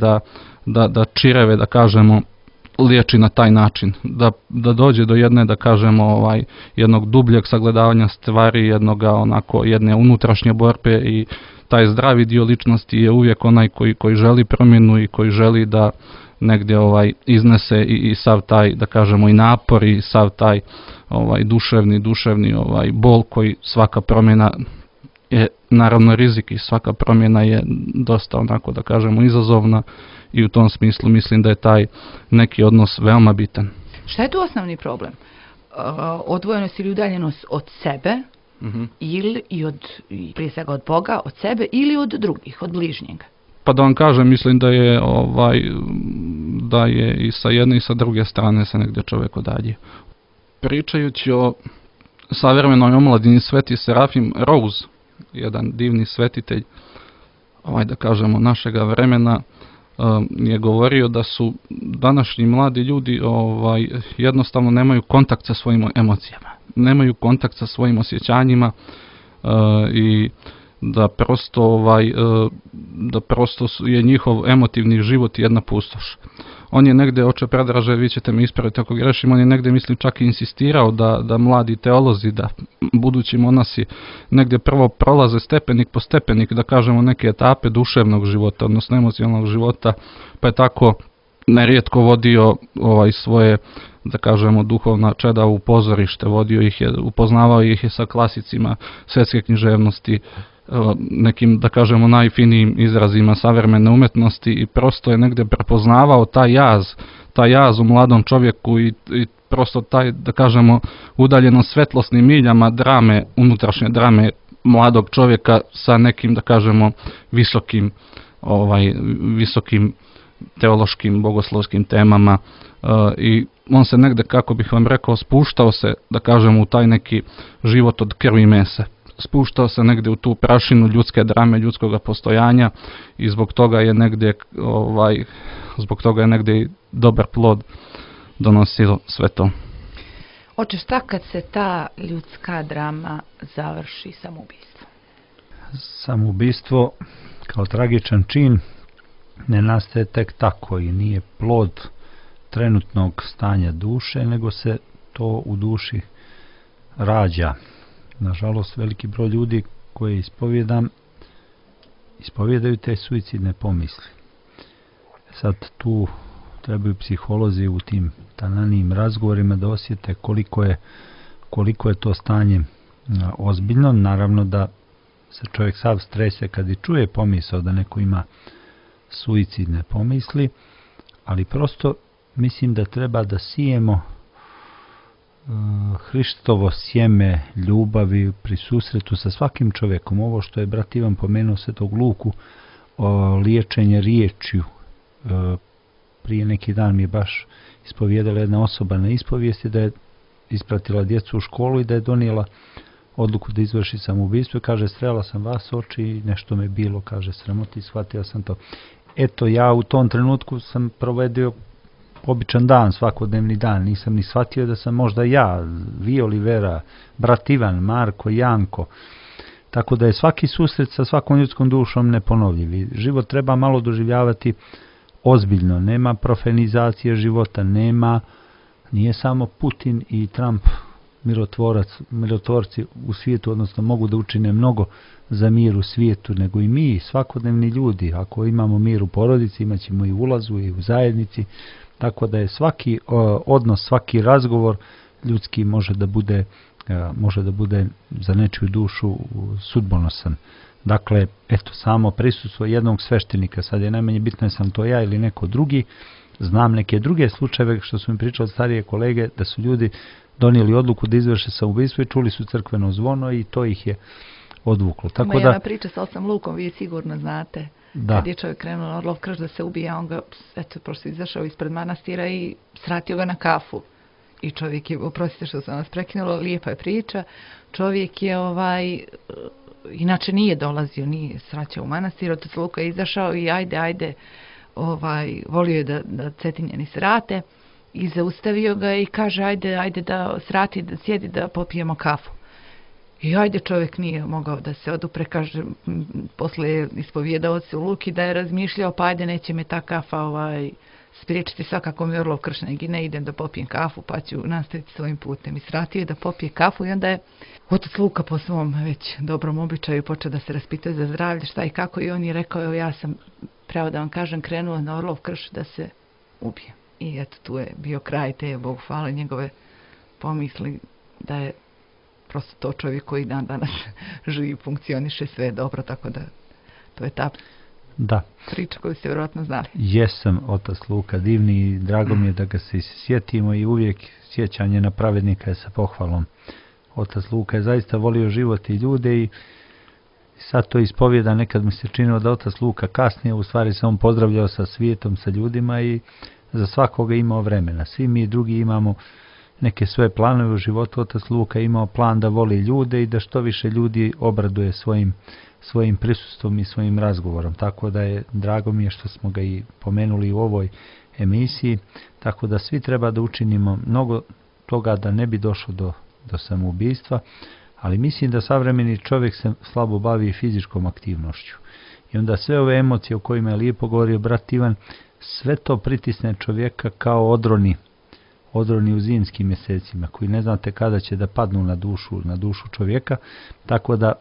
Speaker 2: da čireve, da kažemo, liječi na taj način, da dođe do jedne, da kažemo, jednog dubljeg sagledavanja stvari, jedne unutrašnje borbe i taj zdravi dio ličnosti je uvijek onaj koji želi promjenu i koji želi da negdje iznese i sav taj, da kažemo, i napor i sav taj duševni bol koji svaka promjena je naravno rizik i svaka promjena je dosta onako, da kažemo, izazovna i u tom smislu mislim da je taj neki odnos veoma bitan.
Speaker 1: Šta je tu osnovni problem? Odvojenost ili udaljenost od sebe ili prije svega od Boga, od sebe ili od drugih, od bližnjega?
Speaker 2: Pa da vam kažem, mislim da je i sa jedne i sa druge strane se negdje čovjek odalji. Pričajući o savremenoj omladini, Sveti Serafim Rose, jedan divni svetitelj, da kažemo, našega vremena, je govorio da su današnji mladi ljudi jednostavno nemaju kontakt sa svojim emocijama, nemaju kontakt sa svojim osjećanjima i da prosto je njihov emotivni život jedna pustoš. On je negdje, oče Predraže, vi ćete me ispraviti ako grešim, on je negdje, mislim, čak i insistirao da mladi teolozi, da budući monasi negdje prvo prolaze stepenik po stepenik, da kažemo, neke etape duševnog života, odnosno emocionalnog života, pa je tako nerijetko vodio svoje, da kažemo, duhovna čeda u pozorište, upoznavao ih je sa klasicima svjetske književnosti, nekim, da kažemo, najfinijim izrazima savremene umetnosti i prosto je negdje prepoznavao taj jaz u mladom čovjeku i prosto taj, da kažemo, udaljeno svetlosnim miljama drame, unutrašnje drame mladog čovjeka sa nekim, da kažemo, visokim teološkim, bogoslovskim temama i on se negdje, kako bih vam rekao, spuštao se, da kažemo, u taj neki život od krvi i mesa. Spuštao se negdje u tu prašinu ljudske drame, ljudskog postojanja i zbog toga je negdje dobar plod donosilo sve to.
Speaker 1: Oče, šta kad se ta ljudska drama završi samoubistvom?
Speaker 3: Samoubistvo kao tragičan čin ne nastaje tek tako i nije plod trenutnog stanja duše, nego se to u duši rađa. Nažalost, veliki broj ljudi koje ispovjedaju te suicidne pomisli. Sad tu trebaju psiholozi u tim tananijim razgovorima da osjete koliko je to stanje ozbiljno. Naravno da se čovjek sav strese kad i čuje pomisao da neko ima suicidne pomisli, ali prosto mislim da treba da sijemo Hristovo sjeme ljubavi pri susretu sa svakim čovjekom. Ovo što je brat Ivan pomenuo Svetog Luku, liječenje riječju. Prije neki dan mi je baš ispovijedala jedna osoba na ispovijesti da je ispratila djecu u školu i da je donijela odluku da izvrši samoubistvo. Kaže, strela sam vas oči i nešto me bilo, kaže, sramoti, shvatio sam to. Eto, ja u tom trenutku sam provedio običan dan, svakodnevni dan, nisam ni shvatio da sam možda ja, vi Olivera, brat Ivan, Marko, Janko. Tako da je svaki susret sa svakom ljudskom dušom neponovljiv. Život treba malo doživljavati ozbiljno, nema profanizacije života, nije samo Putin i Trump mirotvorci u svijetu, odnosno mogu da učine mnogo za mir u svijetu, nego i mi, svakodnevni ljudi. Ako imamo mir u porodici, imat ćemo i u ulazu i u zajednici, tako da je svaki odnos, svaki razgovor ljudski može da bude za nečiju dušu sudbonosan. Dakle, eto, samo prisustvo jednog sveštenika, sad je najmanje bitno sam to ja ili neko drugi, znam neke druge slučajeve što su mi pričali starije kolege, da su ljudi donijeli odluku da izvrše samoubistvo i čuli su crkveno zvono i to ih je odvuklo.
Speaker 1: Tako ima jedna priča sa Ocem Lukom, vi sigurno znate. Da. Kad je čovjek krenuo na Orlov krš da se ubija, on ga, prosto izašao ispred manastira i sratio ga na kafu. I čovjek je, oprostite što sam vas prekinulo, lijepa je priča, čovjek je inače nije dolazio, nije sraćao u manastir, Otac Luka je izašao i ajde, volio je da Cetinjani srate i zaustavio ga i kaže ajde da srati, da sjedi, da popijemo kafu. I ajde, čovjek nije mogao da se odupre, kaže, posle je ispovjedao se u Luki da je razmišljao, pa ajde, neće me ta kafa spriječiti, svakako mi Orlov Krš ne idem da popijem kafu, pa ću nastaviti svojim putem. I sratio je da popije kafu i onda je otac Luka po svom već dobrom običaju počeo da se raspituje za zdravlje, šta i kako, i on je rekao, evo ja sam, pravo da vam kažem, krenuo na Orlov Krš da se ubijem. I eto, tu je bio kraj te, Bogu hvala, njegove pomisli da je prosto to čovjek koji dan danas živi, funkcioniše, sve dobro, tako da to je ta priča koju ste vjerojatno znali.
Speaker 3: Jesam, otac Luka divni i drago mi je da ga se sjetimo i uvijek sjećanje na pravednika je sa pohvalom. Otac Luka je zaista volio život i ljude i sad to ispovjeda, nekad mi se činilo da otac Luka kasnije, u stvari se on pozdravljao sa svijetom, sa ljudima i za svakoga imao vremena. Svi mi drugi imamo neke svoje planove u životu. Otac Luka imao plan da voli ljude i da što više ljudi obraduje svojim prisustvom i svojim razgovorom. Tako da je drago mi je što smo ga i pomenuli u ovoj emisiji. Tako da svi treba da učinimo mnogo toga da ne bi došlo do samoubistva, ali mislim da savremeni čovjek se slabo bavi fizičkom aktivnošću. I onda sve ove emocije o kojima je lijepo govorio brat Ivan, sve to pritisne čovjeka kao odroni u zimskim mjesecima, koji ne znate kada će da padnu na dušu čovjeka, tako da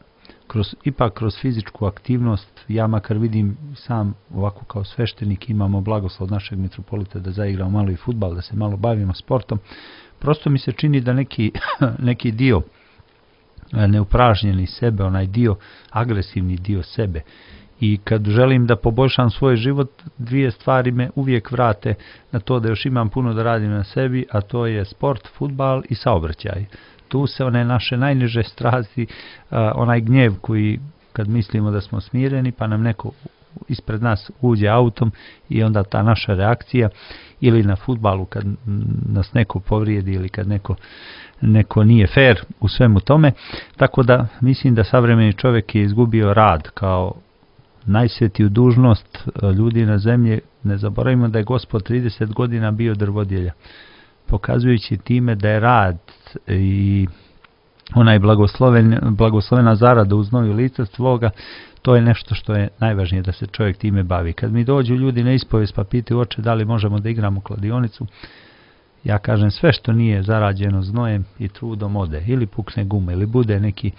Speaker 3: ipak kroz fizičku aktivnost, ja makar vidim sam ovako kao sveštenik, imamo blagoslov našeg mitropolita da zaigramo malo i fudbal, da se malo bavimo sportom, prosto mi se čini da neki dio neupražnjeni sebe, onaj dio, agresivni dio sebe, i kad želim da poboljšam svoj život, dvije stvari me uvijek vrate na to da još imam puno da radim na sebi, a to je sport, fudbal i saobraćaj. Tu se one naše najniže strasti, onaj gnjev koji kad mislimo da smo smireni pa nam neko ispred nas uđe autom i onda ta naša reakcija, ili na fudbalu kad nas neko povrijedi ili kad neko nije fair u svemu tome. Tako da mislim da savremeni čovjek je izgubio rad kao najsvetiju dužnost ljudi na zemlji. Ne zaboravimo da je Gospod 30 godina bio drvodjelja, pokazujući time da je rad i onaj blagoslovena zarada uz novi lica svoga, to je nešto što je najvažnije da se čovjek time bavi. Kad mi dođu ljudi na ispovijest pa pitaju oče da li možemo da igramo kladionicu, ja kažem sve što nije zarađeno znojem i trudom ode, ili pukne guma, ili bude neki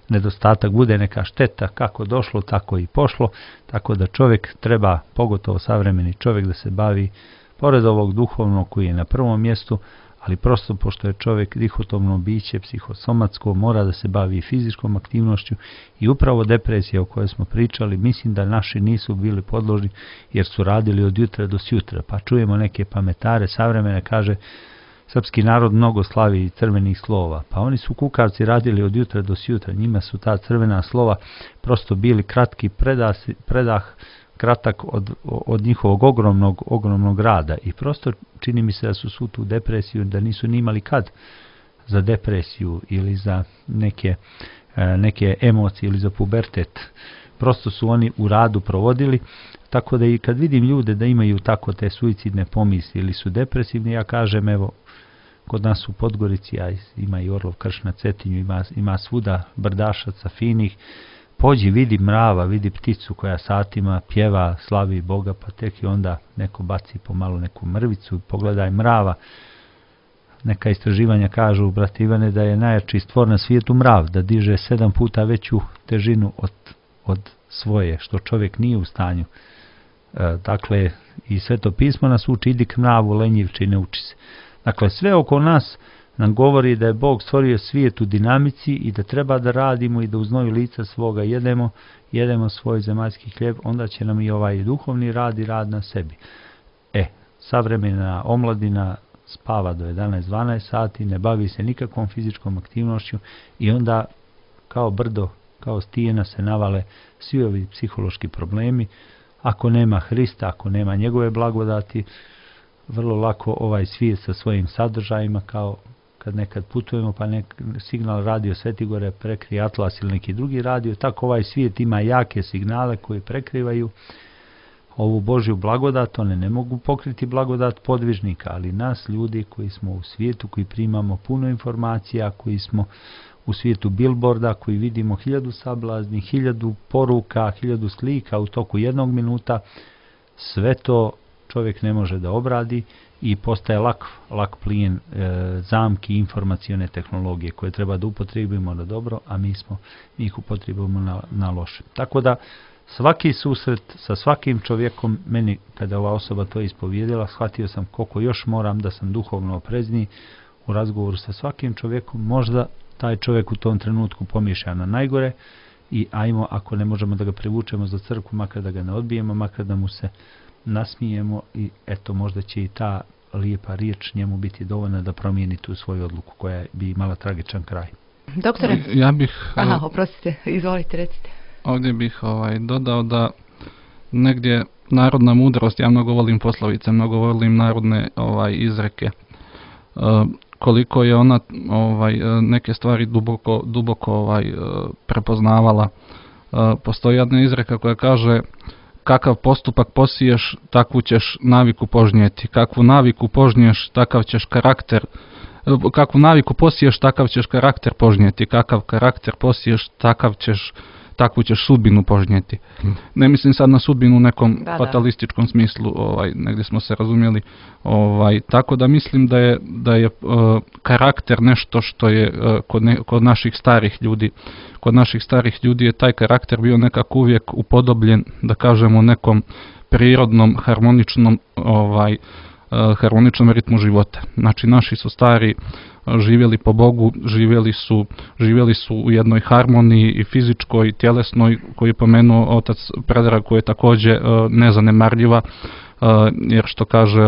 Speaker 3: nedostatak, bude neka šteta, kako došlo tako i pošlo, tako da čovjek treba, pogotovo savremeni čovjek, da se bavi pored ovog duhovnog koji je na prvom mjestu, ali prosto pošto je čovjek dihotomno biće, psihosomatsko, mora da se bavi fizičkom aktivnošću i upravo depresija o kojoj smo pričali, mislim da naši nisu bili podložni jer su radili od jutra do sjutra, pa čujemo neke pametare savremene, kaže srpski narod mnogo slavi crvenih slova, pa oni su kukavci radili od jutra do sjutra, njima su ta crvena slova prosto bili kratki predah kratak od njihovog ogromnog rada i prosto čini mi se da su svu tu depresiju, da nisu ni imali kad za depresiju ili za neke emocije ili za pubertet. Prosto su oni u radu provodili, tako da i kad vidim ljude da imaju tako te suicidne pomisli ili su depresivni, ja kažem evo, kod nas u Podgorici, a ima i Orlov Krš na Cetinju, ima svuda brdašaca finih, pođi, vidi mrava, vidi pticu koja satima pjeva, slavi Boga, pa tek i onda neko baci pomalo neku mrvicu, pogledaj mrava. Neka istraživanja kažu, brat Ivane, da je najjači stvor na svijetu mrav, da diže 7 puta veću težinu od svoje, što čovjek nije u stanju. Dakle, i Sveto pismo nas uči, idi k mravu, lenjivče, ne uči se. Dakle, sve oko nas nam govori da je Bog stvorio svijet u dinamici i da treba da radimo i da uz znoju lica svoga jedemo svoj zemaljski hljeb, onda će nam i ovaj duhovni rad i rad na sebi. Savremena omladina spava do 11-12 sati, ne bavi se nikakvom fizičkom aktivnošću i onda kao brdo, kao stijena se navale svi ovi psihološki problemi. Ako nema Hrista, ako nema njegove blagodati, vrlo lako ovaj svijet sa svojim sadržajima, kao kad nekad putujemo pa signal radio Svetigore prekrije Atlas ili neki drugi radio, tako ovaj svijet ima jake signale koji prekrivaju ovu Božju blagodat. One ne mogu pokriti blagodat podvižnika, ali nas ljudi koji smo u svijetu, koji primamo puno informacija, koji smo u svijetu billboarda koji vidimo 1000 sablazni, 1000 poruka, 1000 slika u toku 1 minuta, sve to čovjek ne može da obradi i postaje lak plijen zamki informacione tehnologije koje treba da upotrijebimo na dobro, a mi ih upotrijebimo na loše. Tako da svaki susret sa svakim čovjekom, meni kada ova osoba to ispovjedila, shvatio sam koliko još moram da sam duhovno oprezniji u razgovoru sa svakim čovjekom. Možda taj čovjek u tom trenutku pomišlja na najgore i ajmo, ako ne možemo da ga privučemo za crkvu, makar da ga ne odbijemo, makar da mu se nasmijemo i eto, možda će i ta lijepa riječ njemu biti dovoljna da promijeni tu svoju odluku koja bi imala tragičan kraj.
Speaker 1: Doktore?
Speaker 2: Ja bih...
Speaker 1: Oprostite, izvolite, recite.
Speaker 2: Ovdje bih dodao da negdje narodna mudrost, ja mnogo volim poslovice, mnogo volim narodne izreke, koliko je ona neke stvari duboko prepoznavala. Postoji jedna izreka koja kaže: kakav postupak posiješ, takvu ćeš naviku požnijeti. Kakvu naviku požniješ, takav ćeš karakter. Kakvu naviku posiješ, takav ćeš karakter požnijeti. Kakav karakter posiješ, takvu ćeš sudbinu požnijeti. Ne mislim sad na sudbinu u nekom fatalističkom smislu, negdje smo se razumjeli. Tako da mislim da je karakter nešto što je kod naših starih ljudi. Kod naših starih ljudi je taj karakter bio nekako uvijek upodobljen, da kažemo, nekom prirodnom, harmoničnom ritmu života. Znači, naši su stari živjeli po Bogu, živjeli su u jednoj harmoniji i fizičkoj i tjelesnoj, koju je pomenuo otac Predrag, koja je također nezanemarljiva, jer što kaže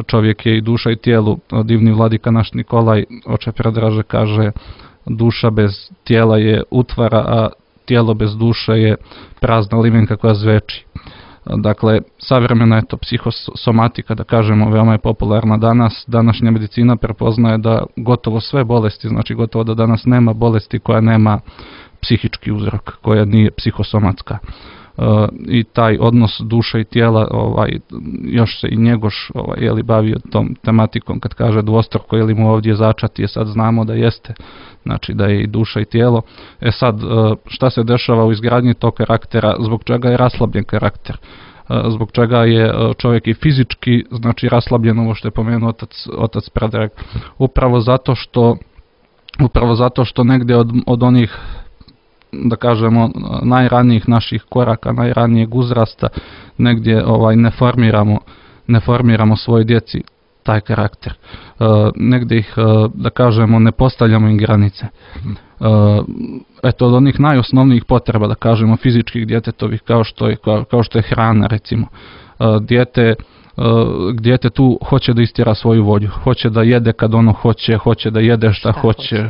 Speaker 2: čovjek je i duša i tijelu. Divni vladika naš Nikolaj, oče Predraže, kaže: duša bez tijela je utvara, a tijelo bez duše je prazna limenka koja zveči. Dakle, savremena psihosomatika, da kažemo, veoma je popularna danas. Današnja medicina prepoznaje da gotovo sve bolesti, znači gotovo da danas nema bolesti koja nema psihički uzrok, koja nije psihosomatska. I taj odnos duše i tijela, još se i Njegoš bavio tom tematikom kad kaže dvostruko, je li mu ovdje začati, sad znamo da jeste, znači da je i duša i tijelo. Sad, šta se dešava u izgradnji tog karaktera, zbog čega je raslabljen karakter, zbog čega je čovjek i fizički, znači, raslabljen, ovo što je pomenuo otac Predrag, upravo zato što negdje od onih, da kažemo, najranijih naših koraka, najranijeg uzrasta, negdje ne formiramo svoj djeci taj karakter. Negdje ih, da kažemo, ne postavljamo im granice. Eto, od onih najosnovnijih potreba, da kažemo, fizičkih djetetovih, kao što je hrana, recimo. Dijete tu hoće da istjera svoju volju, hoće da jede kad ono hoće da jede šta hoće,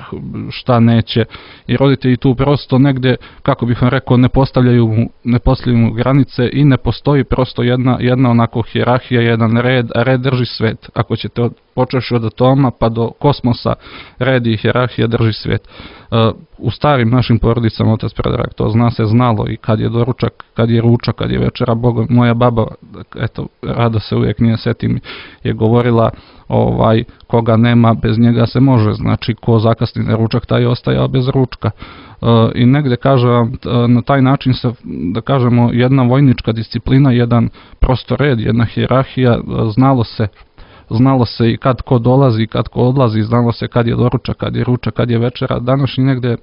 Speaker 2: šta neće, i roditelji tu prosto negdje, kako bih vam rekao, ne postavljaju mu granice i ne postoji prosto jedna onako hijerarhija, jedan red, a red drži svet. Ako ćete počeši od atoma pa do kosmosa, red i hijerarhija drži svijet. U starim našim porodicama, otac Predrag, to znalo i kad je doručak, kad je ručak, kad je večera. Moja baba, eto, rado se uvijek nije setim, je govorila, koga nema, bez njega se može, znači ko zakasni na ručak, taj je ostajao bez ručka. I negdje, kažem, na taj način se, da kažemo, jedna vojnička disciplina, jedan prosto red, jedna hijerarhija, znalo se i kad ko dolazi, kad ko odlazi, znalo se kad je doručak, kad je ručak, kad je večera. Današnji negdje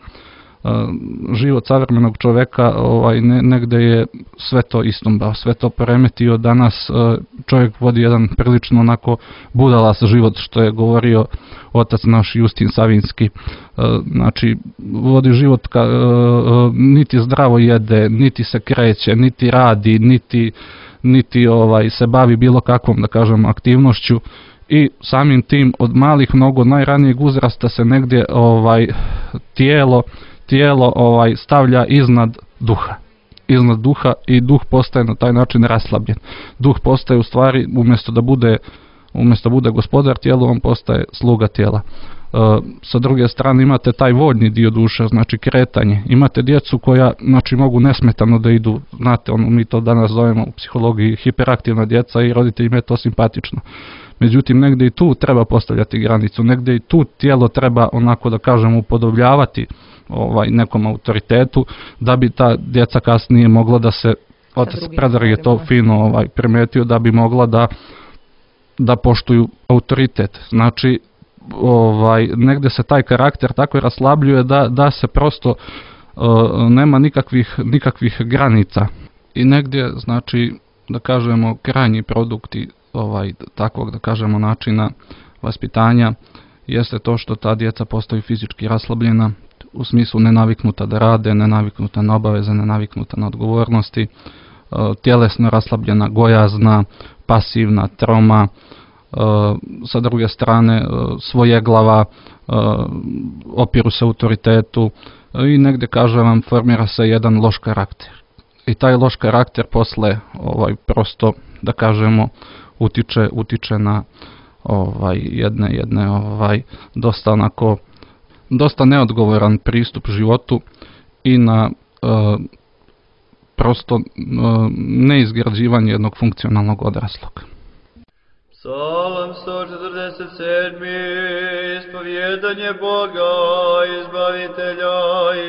Speaker 2: život savremenog čovjeka negdje je sve to istumbao, sve to poremetio. Danas čovjek vodi jedan prilično onako budalas život, što je govorio otac naš Justin Savinski. Znači, vodi život, niti zdravo jede, niti se kreće, niti radi, niti se bavi bilo kakvom, da kažem, aktivnošću, i samim tim od malih, mnogo najranijeg uzrasta se negdje tijelo stavlja iznad duha i duh postaje na taj način raslabljen. Duh postaje, u stvari, umjesto da bude umjesto bude gospodar tijela, on postaje sluga tijela. Sa druge strane imate taj voljni dio duše, znači kretanje. Imate djecu koja, znači, mogu nesmetano da idu, znate, mi to danas zovemo u psihologiji hiperaktivna djeca i roditeljima je to simpatično. Međutim, negdje i tu treba postavljati granicu, negdje i tu tijelo treba, onako da kažemo, upodobljavati nekom autoritetu, da bi ta djeca kasnije mogla da se, otac Predrag je to fino primetio, da bi mogla da poštuju autoritet. Znači, negdje se taj karakter tako raslabljuje da se prosto nema nikakvih granica. I negdje, znači, da kažemo, krajnji produkti takvog, da kažemo, načina vaspitanja jeste to što ta djeca postaju fizički raslabljena, u smislu nenaviknuta da rade, nenaviknuta na obaveze, nenaviknuta na odgovornosti, tjelesno raslabljena, gojazna, pasivna, troma, sa druge strane svojeglava, opiru se autoritetu i negdje, kažem vam, formira se jedan loš karakter. I taj loš karakter posle prosto, da kažemo, utiče na jedne dosta neodgovoran pristup životu i na prosto neizgrađivanje jednog funkcionalnog odraslog.
Speaker 5: Psalam 147. Ispovjedanje Boga, Izbavitelja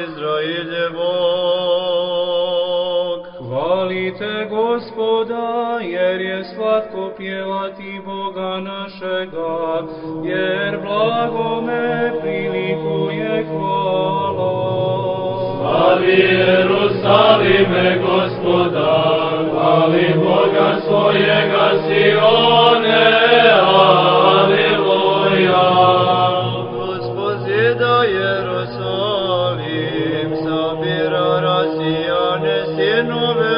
Speaker 5: Izraeljevog.
Speaker 6: Hvalite Gospoda, jer je slatko pjevati Boga našega, jer blagome prilikuje hvala.
Speaker 5: Slavi Jerusalime Gospoda, hvali Boga svojega Sione, aleluja. Gospod zida Jerusalim, sabira rasijane sinove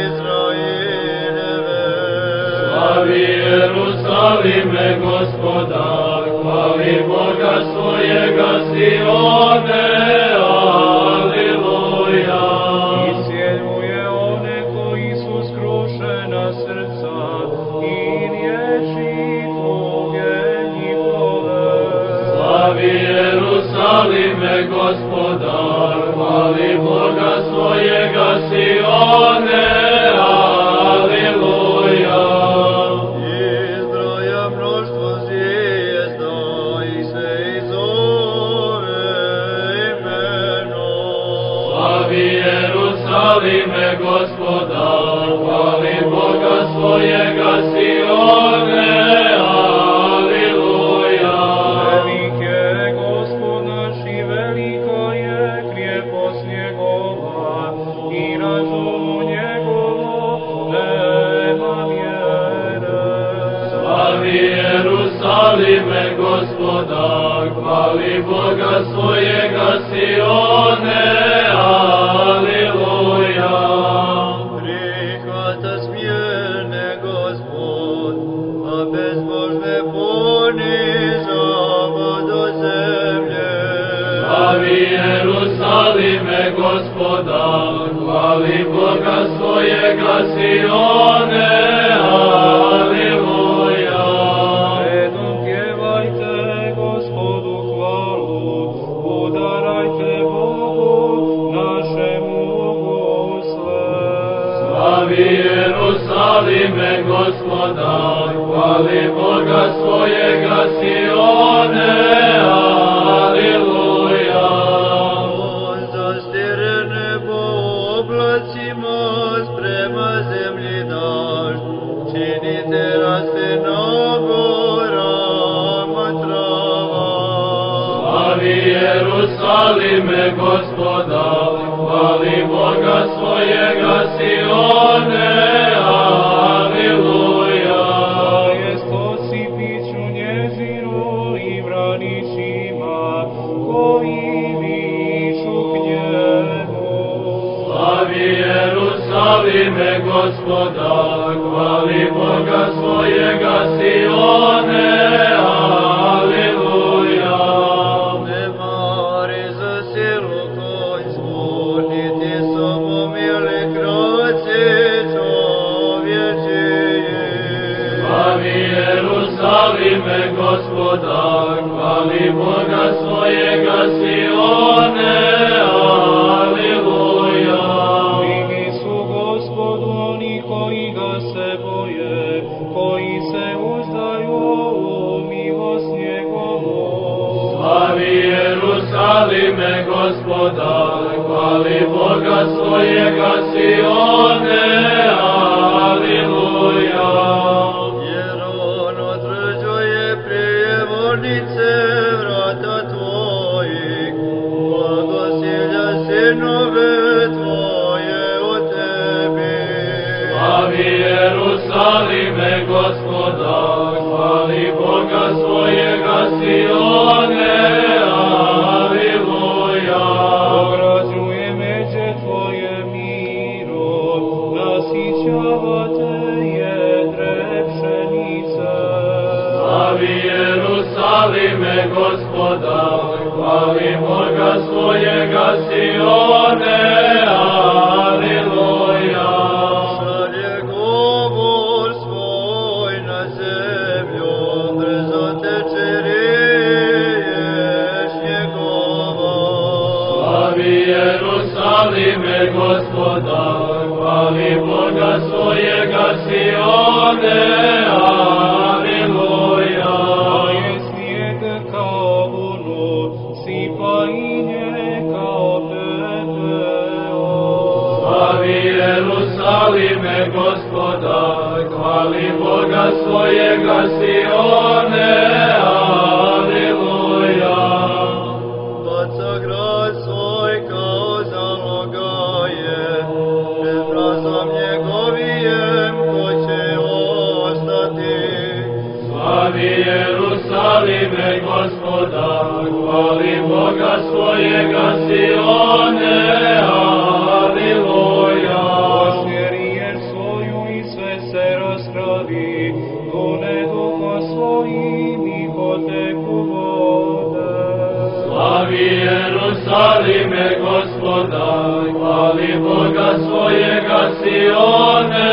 Speaker 5: Izraeljeve. Slavi Jerusalime Gospoda, hvali Boga svojega Sione, aleluja.
Speaker 6: Isjeluje one koji su skrušena srca i riječi Tvoje njihove.
Speaker 5: Slavi Jerusalime Gospoda, hvali Boga svojega Sione, aleluja. Izbroja mnoštvo zvijezda i se izove imenom. Slavi Jerusalime Gospoda, hvali Boga svojega Sione, aleluja.
Speaker 6: Velik je Gospod naš i velika je krijepost njegova i razumu njegovo nema mjere.
Speaker 5: Slavi Jerusalime Gospoda, hvali Boga svojega Sione, aleluja. Prihvata smjerne Gospod, a bezbožne ponižava do zemlje. Slavi Jerusalime Gospoda, hvali Boga svojega Sione, aleluja.
Speaker 6: Redom pjevajte Gospodu hvalu, udarajte Bogu našemu gusle.
Speaker 5: Slavi Jerusalime Gospoda, hvali Boga svojega Sione, aleluja. On zastire nebo oblacima, sprema zemlji dažd, činite raste na gorama trava. Slavi Jerusalime Gospoda, hvali Boga svojega Sione, aleluja.
Speaker 6: Jest osipiću njezinu i vranićima koji viču k njemu.
Speaker 5: Slavi Jerusalime Gospoda, hvali Boga svojega Sione, aleluja. Ne mari za silu konjsku, niti samomili kraće čovječije. Slavi Jerusalime Jerusalime, Gospoda, hvali Boga svojega Sione, aleluja.
Speaker 6: Vidi su Gospodu oni koji ga se boje, koji se uzdaju u milost njegovu.
Speaker 5: Slavi Jerusalime, Gospoda, hvali Boga svojega Sione, aleluja. Jer on određuje prijevornice vrata tvojih, blagosilja sinove tvoje o tebi. Slavi Jerusalime, Gospoda, hvali Boga svojega Sione, aleluja.
Speaker 6: Obrađuje međe tvoje miro, nasićava te jedre pšenice.
Speaker 5: Slavi Jerusalime, Gospoda, hvali Boga svojega Sione, aleluja. Šalje govor svoj na zemlju, brzo teče riješ njegova. Slavi Jerusalime, Gospoda, hvali Boga svojega Sione, aleluja.
Speaker 6: A je snijeg kao vunu, sipa i nje kao pepeo.
Speaker 5: Slavi Jerusalime, Gospoda, hvali Boga svojega Sione, aleluja. Baca grad svoj kao zalogaje, pred mrazom njegovijem ko će ostati. Slavi Jerusalime, Gospoda, hvali Boga svojega Sione, aleluja.
Speaker 6: Osmjeri svoju i sve se raspravi, dune duho svojim i poteku vode.
Speaker 5: Slavi Jerusalime, Gospoda, hvali Boga svojega Sione,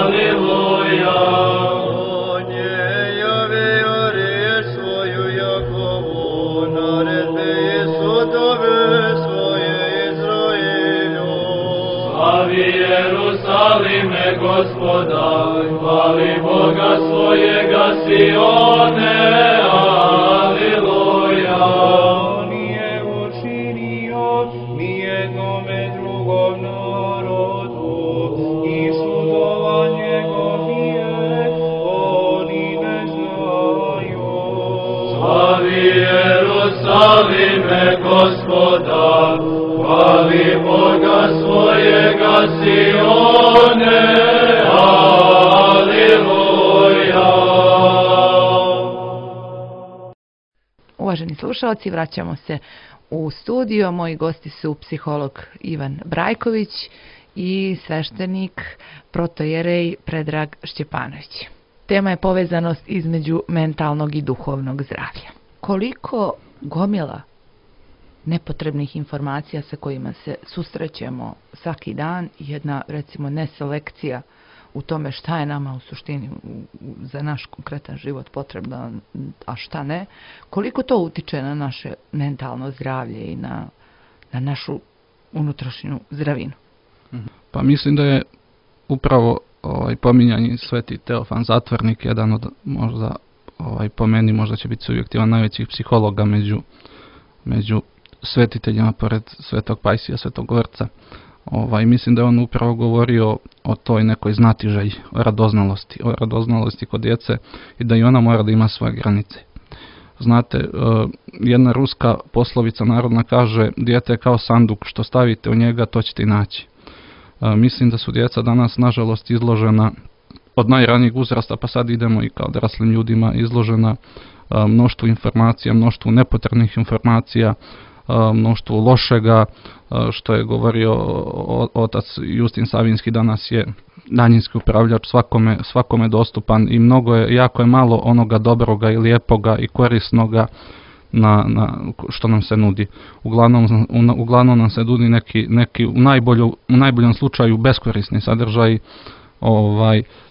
Speaker 5: aleluja. On je javio riječ svoju Jakovu, naredbe i sudove svoje Izraelju. Slavi Jerusalime, Gospoda, hvali Boga svojega Sione, aleluja.
Speaker 6: On je učinio nijednome drugom narodu i sudova njegovije oni ne znaju.
Speaker 5: Slavi Jerusalime, Gospoda, hvali Boga svojega Sione, aleluja.
Speaker 1: Uvaženi slušalci, vraćamo se u studio. Moji gosti su psiholog Ivan Brajković i sveštenik protojerej Predrag Šćepanović. Tema je povezanost između mentalnog i duhovnog zdravlja. Koliko gomila nepotrebnih informacija sa kojima se susrećemo svaki dan, jedna recimo neselekcija u tome šta je nama u suštini za naš konkretan život potrebno, a šta ne, koliko to utiče na naše mentalno zdravlje i na našu unutrašnju zdravinu?
Speaker 2: Pa mislim da je upravo pominjanje Sveti Teofan Zatvornik jedan od možda po meni možda će biti subjektivan najvećih psihologa među svetiteljima pored Svetog Pajsija, Svetog Gorca. Mislim da je on upravo govorio o toj nekoj znatiželji, o radoznalosti kod djece i da i ona mora da ima svoje granice. Znate, jedna ruska poslovica narodna kaže: dijete je kao sanduk, što stavite u njega, to ćete i naći. Mislim da su djeca danas, nažalost, izložena od najranijeg uzrasta, pa sad idemo i kao odraslim ljudima, izložena mnoštvu informacija, mnoštvu nepotrebnih informacija, mnoštvu lošega, što je govorio otac Justin Savinski, danas je daljinski upravljač svakome dostupan i jako je malo onoga dobroga i lijepoga i korisnoga što nam se nudi. Uglavnom nam se nudi neki u najboljem slučaju beskorisni sadržaj,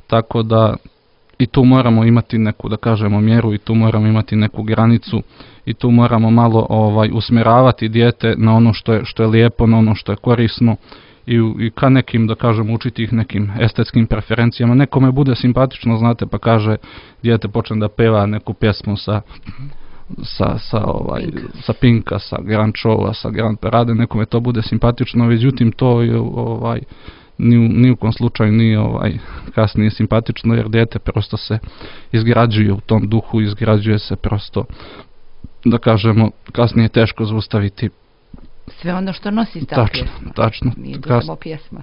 Speaker 2: tako da i tu moramo imati neku, da kažemo, mjeru i tu moramo imati neku granicu i tu moramo malo usmjeravati dijete na ono što je lijepo, na ono što je korisno i ka nekim, da kažem, učiti ih nekim estetskim preferencijama. Nekome bude simpatično, znate, pa kaže dijete počne da peva neku pjesmu sa Pinka, sa Grand Showa, sa Grand Parade, nekome to bude simpatično, međutim to je ni u kom slučaju nije kasnije simpatično, jer dijete prosto se izgrađuje u tom duhu, izgrađuje se prosto, da kažemo, kasnije je teško zaustaviti
Speaker 1: sve ono što nosi ta pjesma.
Speaker 2: Tačno.
Speaker 1: Nije to samo pjesma.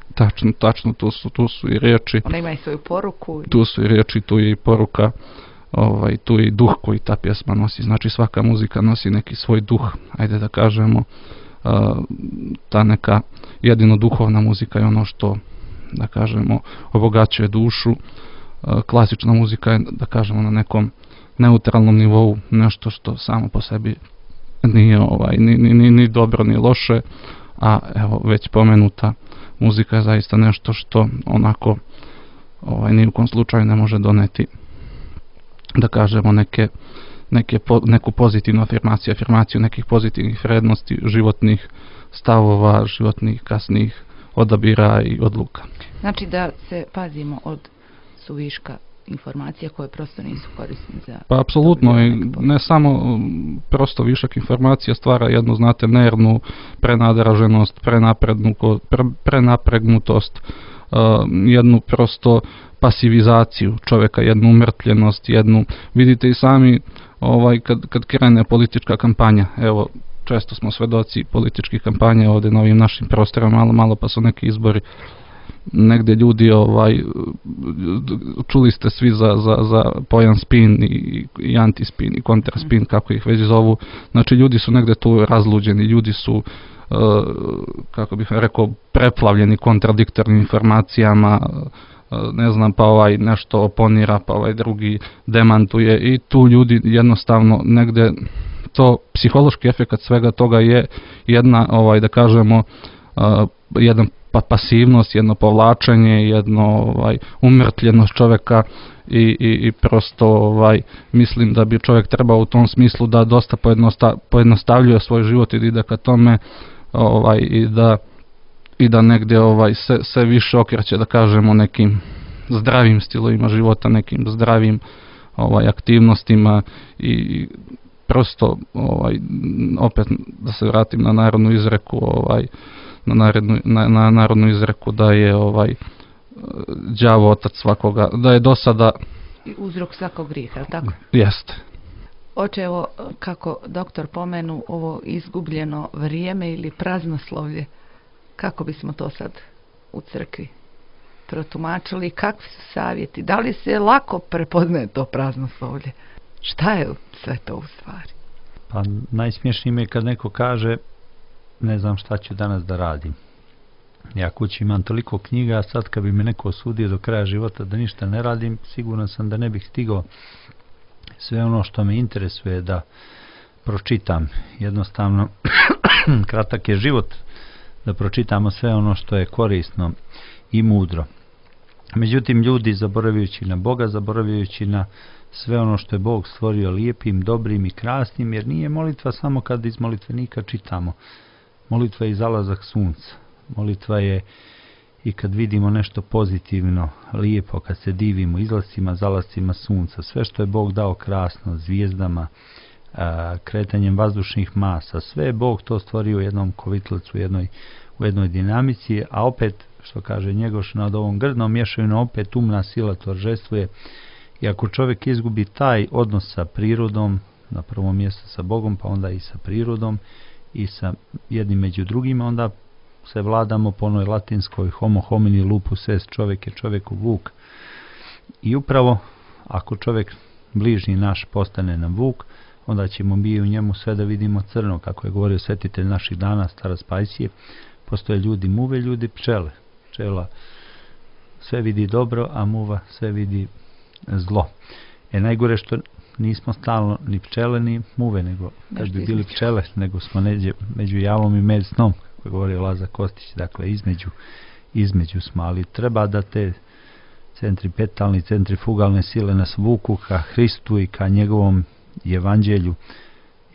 Speaker 2: Tačno, tu su i riječi.
Speaker 1: Ona ima i svoju poruku.
Speaker 2: Tu su i riječi, tu je i poruka, tu je i duh koji ta pjesma nosi. Znači svaka muzika nosi neki svoj duh, ajde da kažemo, ta neka jedino duhovna muzika je ono što, da kažemo, obogaćuje dušu. Klasična muzika je, da kažemo, na nekom neutralnom nivou, nešto što samo po sebi nije ni dobro ni loše, a evo već pomenuta muzika je zaista nešto što onako ni u kom slučaju ne može doneti, da kažemo, neku pozitivnu afirmaciju nekih pozitivnih vrednosti, životnih stavova, životnih kasnih odabira i odluka.
Speaker 1: Znači da se pazimo od suviška informacija koje prosto nisu korisne za...
Speaker 2: Pa apsolutno, i ne samo prosto višak informacija stvara jednu, znate, nervnu prenadraženost, prenapregnutost, jednu prosto pasivizaciju čovjeka, jednu umrtljenost, vidite i sami kad krene politička kampanja, evo često smo svedoci političkih kampanja ovdje na ovim našim prostorima, malo pa su neki izbori, negdje ljudi, čuli ste svi za pojam spin i antispin i kontraspin, kako ih već zovu, znači ljudi su negdje tu razluđeni, ljudi su, kako bih rekao, preplavljeni kontradiktornim informacijama, ne znam, pa nešto oponira, pa drugi demantuje i tu ljudi jednostavno negdje, to psihološki efekt svega toga je jedna, da kažemo, jedan pasivnost, jedno povlačenje, jedno umrtljenost čovjeka i prosto mislim da bi čovjek trebao u tom smislu da dosta pojednostavljuje svoj život i da ide ka tome i da negdje se više okreće, da kažemo, nekim zdravim stilovima života, nekim zdravim aktivnostima i prosto opet da se vratim na narodnu izreku, na narodnu izreku da je đavo otac svakoga, da je dosada
Speaker 1: uzrok svakog grijeha, je li tako?
Speaker 2: Jeste.
Speaker 1: Oče, evo kako doktor pomenu ovo izgubljeno vrijeme ili praznoslovlje, kako bismo to sad u crkvi protumačili, kakvi su savjeti, da li se lako prepoznaje to praznoslovlje, šta je sve to u stvari?
Speaker 3: Pa najsmješnije mi je kad neko kaže ne znam šta ću danas da radim. Ja kući imam toliko knjiga, a sad kad bi me neko osudio do kraja života da ništa ne radim, siguran sam da ne bih stigao sve ono što me interesuje da pročitam. Jednostavno, kratak je život da pročitamo sve ono što je korisno i mudro. Međutim, ljudi, zaboravljajući na Boga, zaboravljajući na sve ono što je Bog stvorio lijepim, dobrim i krasnim, jer nije molitva samo kad iz molitvenika čitamo. Molitva je i zalazak sunca. Molitva je i kad vidimo nešto pozitivno, lijepo, kad se divimo izlascima, zalascima sunca. Sve što je Bog dao krasno, zvijezdama, kretanjem vazdušnih masa, sve je Bog to stvorio u jednom kovitlacu, u jednoj dinamici, a opet, što kaže Njegoš, nad ovom grdnom mješavinom opet umna sila торжествuje. I ako čovjek izgubi taj odnos sa prirodom, na prvom mjestu sa Bogom, pa onda i sa prirodom i sa jednim među drugima, onda se vladamo po onoj latinskoj homo homini lupus est, čovjek je čovjeku vuk. I upravo ako čovjek bližnji naš postane nam vuk, onda ćemo mi u njemu sve da vidimo crno, kako je govorio svetitelj naših dana, starac Pajsije. Postoje ljudi muve, ljudi pčele. Pčela sve vidi dobro, a muva sve vidi zlo. Najgore što nismo stalno ni pčele ni muve, nego kad bi bili pčele, nego smo među javom i med snom, kako je govorio Lazar Kostić, dakle između smo, ali treba da te centripetalne, centrifugalne sile nas vuku ka Hristu i ka njegovom evanđelju.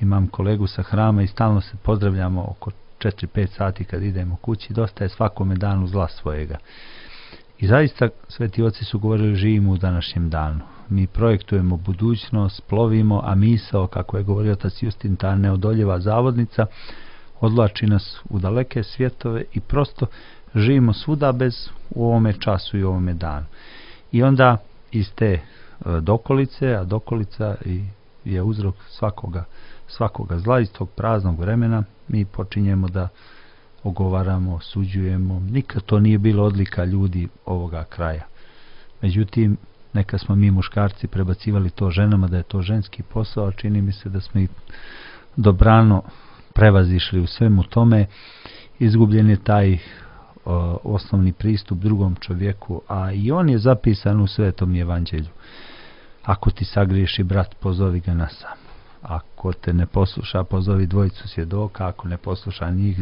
Speaker 3: Imam kolegu sa hrama i stalno se pozdravljamo oko 4-5 sati kad idemo kući, dosta je svakome danu zla svojega. I zaista sveti oci su govorili živimo u današnjem danu. Mi projektujemo budućnost, plovimo, a misao, kako je govorio otac Justin, ta neodoljiva zavodnica, odlači nas u daleke svjetove i prosto živimo svuda bez u ovome času i u ovome danu. I onda iz te dokolice, a dokolica je uzrok svakoga zla, iz tog praznog vremena mi počinjemo da ogovaramo, osuđujemo. Nikad to nije bilo odlika ljudi ovoga kraja. Međutim, neka smo mi muškarci prebacivali to ženama da je to ženski posao, a čini mi se da smo i dobrano prevazišli u svemu tome. Izgubljen je taj osnovni pristup drugom čovjeku, a i on je zapisan u Svetom evanđelju. Ako ti sagriješi brat, pozovi ga na sam. Ako te ne posluša, pozovi dvojicu svjedoka, ako ne posluša njih,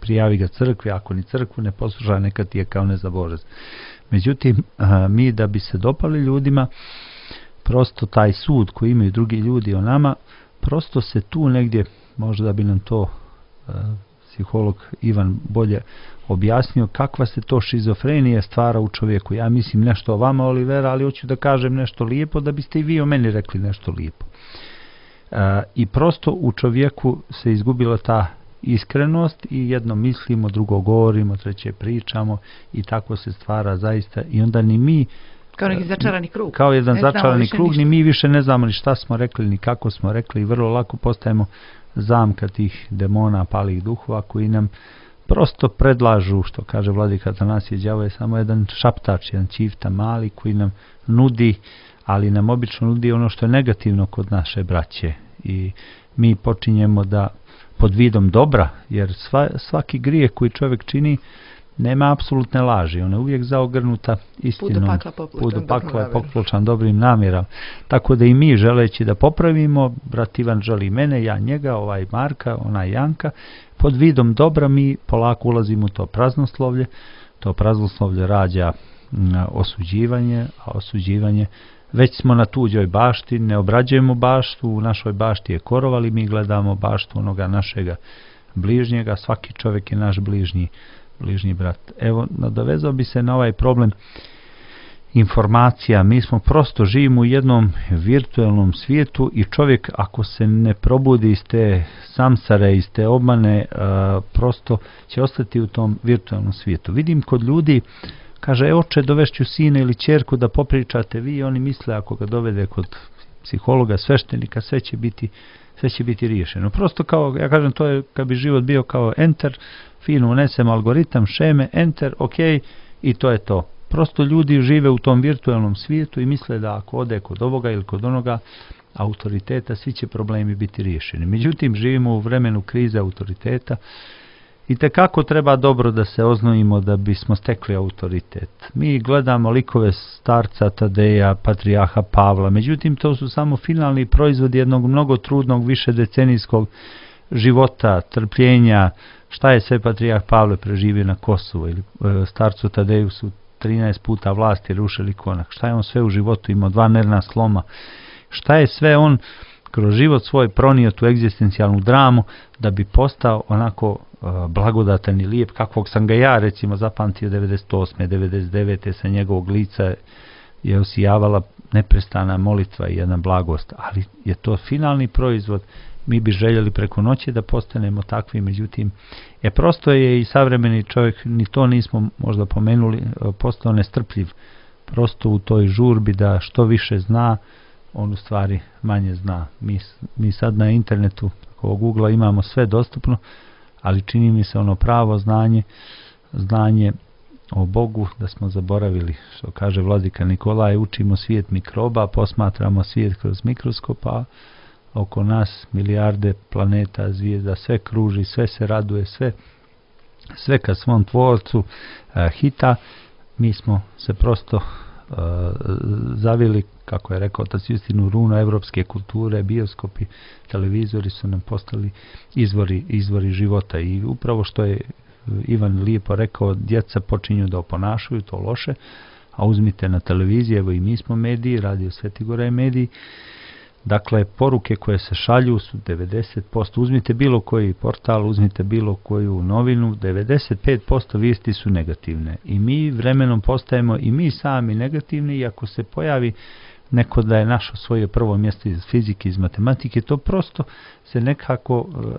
Speaker 3: prijavi ga crkvi, ako ni crkvu ne posluša, neka ti je kao nezaborav. Međutim, mi da bi se dopali ljudima, prosto taj sud koji imaju drugi ljudi o nama, prosto se tu negdje, možda bi nam to psiholog Ivan bolje objasnio, kakva se to šizofrenija stvara u čovjeku. Ja mislim nešto o vama, Olivera, ali hoću da kažem nešto lijepo, da biste i vi o meni rekli nešto lijepo. I prosto u čovjeku se izgubila ta iskrenost i jedno mislimo, drugo govorimo, treće pričamo i tako se stvara zaista i onda ni mi
Speaker 1: kao neki začarani krug.
Speaker 3: Kao jedan začarani krug, ni mi više ne znamo ni šta smo rekli, ni kako smo rekli i vrlo lako postajemo zamka tih demona, palih duhova koji nam prosto predlažu, što kaže vladika Atanasije, đavo je samo jedan šaptač, jedan čifta mali koji nam nudi, ali nam obično nudi ono što je negativno kod naše braće i mi počinjemo da pod vidom dobra, jer svaki grijeh koji čovjek čini nema apsolutne laži, ona je uvijek zaogrnuta istinom, put do pakla je popločan dobrim namjerom. Tako da i mi želeći da popravimo, brat Ivan želi mene, ja njega, ovaj Marka, ona Janka, pod vidom dobra mi polako ulazimo u to praznoslovlje. To praznoslovlje rađa osuđivanje, a osuđivanje već smo na tuđoj bašti, ne obrađujemo baštu, u našoj bašti je korov, ali mi gledamo baštu onoga našega bližnjega, svaki čovjek je naš bližnji brat. Evo, nadovezao bi se na ovaj problem informacija. Mi smo prosto živimo u jednom virtualnom svijetu i čovjek ako se ne probudi iz te samsare, iz te obmane, prosto će ostati u tom virtualnom svijetu. Vidim kod ljudi, kaže, oče, dovešću sina ili ćerku da popričate vi, oni misle ako ga dovede kod psihologa, sveštenika, sve će biti riješeno. Prosto kao, ja kažem, to je kad bi život bio kao enter, fino unesem algoritam, šeme, enter, ok, i to je to. Prosto ljudi žive u tom virtualnom svijetu i misle da ako ode kod ovoga ili kod onoga autoriteta, svi će problemi biti riješeni. Međutim, živimo u vremenu krize autoriteta i tekako treba dobro da se oznojimo da bismo stekli autoritet. Mi gledamo likove starca Tadeja, patrijarha Pavla, međutim to su samo finalni proizvodi jednog mnogo trudnog višedecenijskog života, trpljenja. Šta je sve patrijarh Pavle preživio na Kosovu ili starcu Tadeju su 13 puta vlasti rušili konak. Šta je on sve u životu imao, 2 nervna sloma. Šta je sve on kroz život svoj pronio tu egzistencijalnu dramu da bi postao onako blagodatan i lijep kakvog sam ga ja recimo zapamtio 98. 99. sa njegovog lica je osijavala neprestana molitva i jedna blagost, ali je to finalni proizvod. Mi bi željeli preko noći da postanemo takvi, međutim, prosto je i savremeni čovjek, ni to nismo možda pomenuli, postao nestrpljiv. Prosto u toj žurbi da što više zna, on u stvari manje zna. Mi sad na internetu, kao Google imamo sve dostupno, ali čini mi se ono pravo znanje o Bogu da smo zaboravili. Što kaže vladika Nikolaj, učimo svijet mikroba, posmatramo svijet kroz mikroskopa, oko nas milijarde planeta, zvijezda, sve kruži, sve se raduje, sve ka svom tvorcu hita. Mi smo se prosto zavili, kako je rekao otac Justin, u runu evropske kulture, bioskopi, televizori su nam postali izvori života i upravo što je Ivan lijepo rekao, djeca počinju da oponašaju to loše, a uzmite na televiziji, evo i mi smo mediji, Radio Sveti Gora je mediji, dakle poruke koje se šalju su 90%, uzmite bilo koji portal, uzmite bilo koju novinu, 95% vijesti su negativne i mi vremenom postajemo i mi sami negativni i ako se pojavi neko da je našo svoje prvo mjesto iz fizike, iz matematike, to prosto se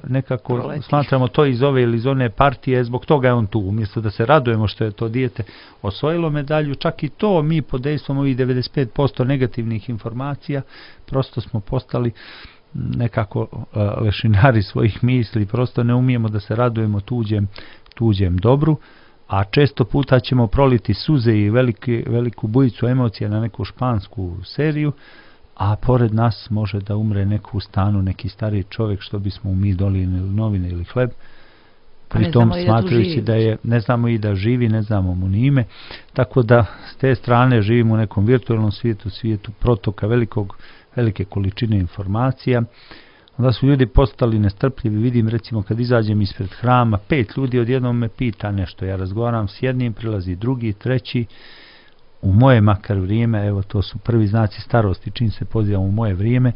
Speaker 3: nekako smatramo to iz ove ili iz one partije, zbog toga je on tu. Umjesto da se radujemo što je to dijete osvojilo medalju, čak i to mi pod dejstvom ovih 95% negativnih informacija, prosto smo postali nekako lešinari svojih misli, prosto ne umijemo da se radujemo tuđem dobru, a često puta ćemo proliti suze i veliku bujicu emocija na neku špansku seriju, a pored nas može da umre neko u stanu, neki stariji čovjek, što bismo mi donijeli ili novine ili hleb, pritom smatrajući da je, ne znamo i da živi, ne znamo mu ni ime, tako da s te strane živimo u nekom virtualnom svijetu protoka velike količine informacija. Onda su ljudi postali nestrpljivi, vidim recimo kad izađem ispred hrama, 5 ljudi odjednom me pita nešto, ja razgovaram s jednim, prilazi drugi, treći, u moje makar vrijeme, evo to su prvi znaci starosti, čim se pozivam u moje vrijeme,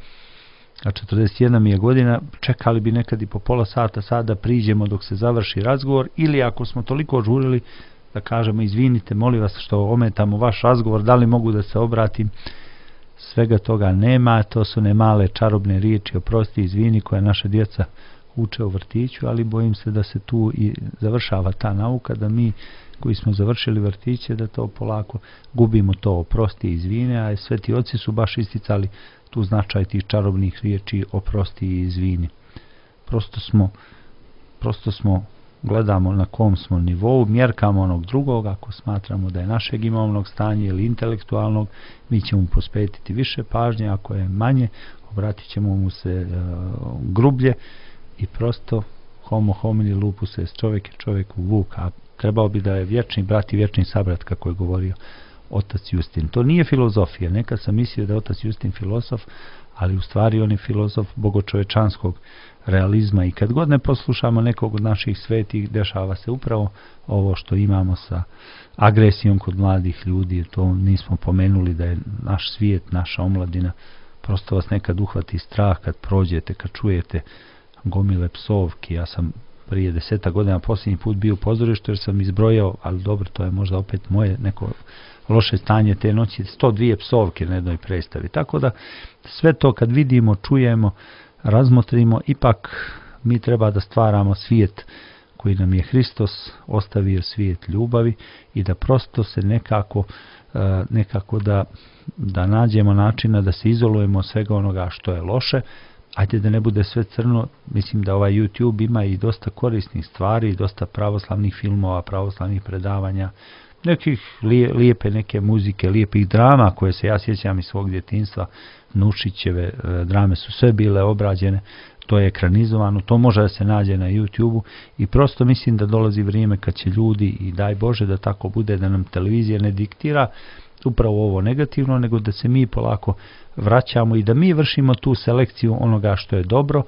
Speaker 3: a 41 mi je godina, čekali bi nekad i po pola sata, sada priđemo dok se završi razgovor, ili ako smo toliko žurili da kažemo izvinite, molim vas što ometamo vaš razgovor, da li mogu da se obratim. Svega toga nema, to su ne male čarobne riječi, oprosti, izvini, koje naša djeca uče u vrtiću, ali bojim se da se tu i završava ta nauka, da mi koji smo završili vrtiće, da to polako gubimo to oprosti, izvine, a sveti oci su baš isticali tu značaj tih čarobnih riječi oprosti i izvini. Prosto smo gledamo na kom smo nivou, mjerkamo onog drugog, ako smatramo da je našeg imovnog stanja ili intelektualnog, mi ćemo mu posvetiti više pažnje, ako je manje, obratit ćemo mu se grublje i prosto homo homini lupus est, čovjek je čovjeku vuk, a trebao bi da je vječni brat i vječni sabrat, kako je govorio otac Justin. To nije filozofija, nekad sam mislio da je otac Justin filozof, ali u stvari on je filozof bogočovečanskog realizma i kad god ne poslušamo nekog od naših svetih, dešava se upravo ovo što imamo sa agresijom kod mladih ljudi, to nismo pomenuli da je naš svijet, naša omladina, prosto vas nekad uhvati strah kad prođete, kad čujete gomile psovki. Ja sam prije 10 godina posljednji put bio u pozorištu jer sam izbrojao, ali dobro, to je možda opet moje neko loše stanje te noći, 102 psovke na jednoj predstavi. Tako da sve to kad vidimo, čujemo, razmotrimo, ipak mi treba da stvaramo svijet koji nam je Hristos ostavio, svijet ljubavi, i da prosto se nekako da nađemo načina da se izolujemo od svega onoga što je loše. Ajde da ne bude sve crno, mislim da ovaj YouTube ima i dosta korisnih stvari, dosta pravoslavnih filmova, pravoslavnih predavanja, nekih lijepe neke muzike, lijepih drama koje se ja sjećam iz svog djetinjstva. Nušićeve drame su sve bile obrađene, to je ekranizovano, to može da se nađe na YouTube-u i prosto mislim da dolazi vrijeme kad će ljudi, i daj Bože da tako bude, da nam televizija ne diktira upravo ovo negativno, nego da se mi polako vraćamo i da mi vršimo tu selekciju onoga što je dobro,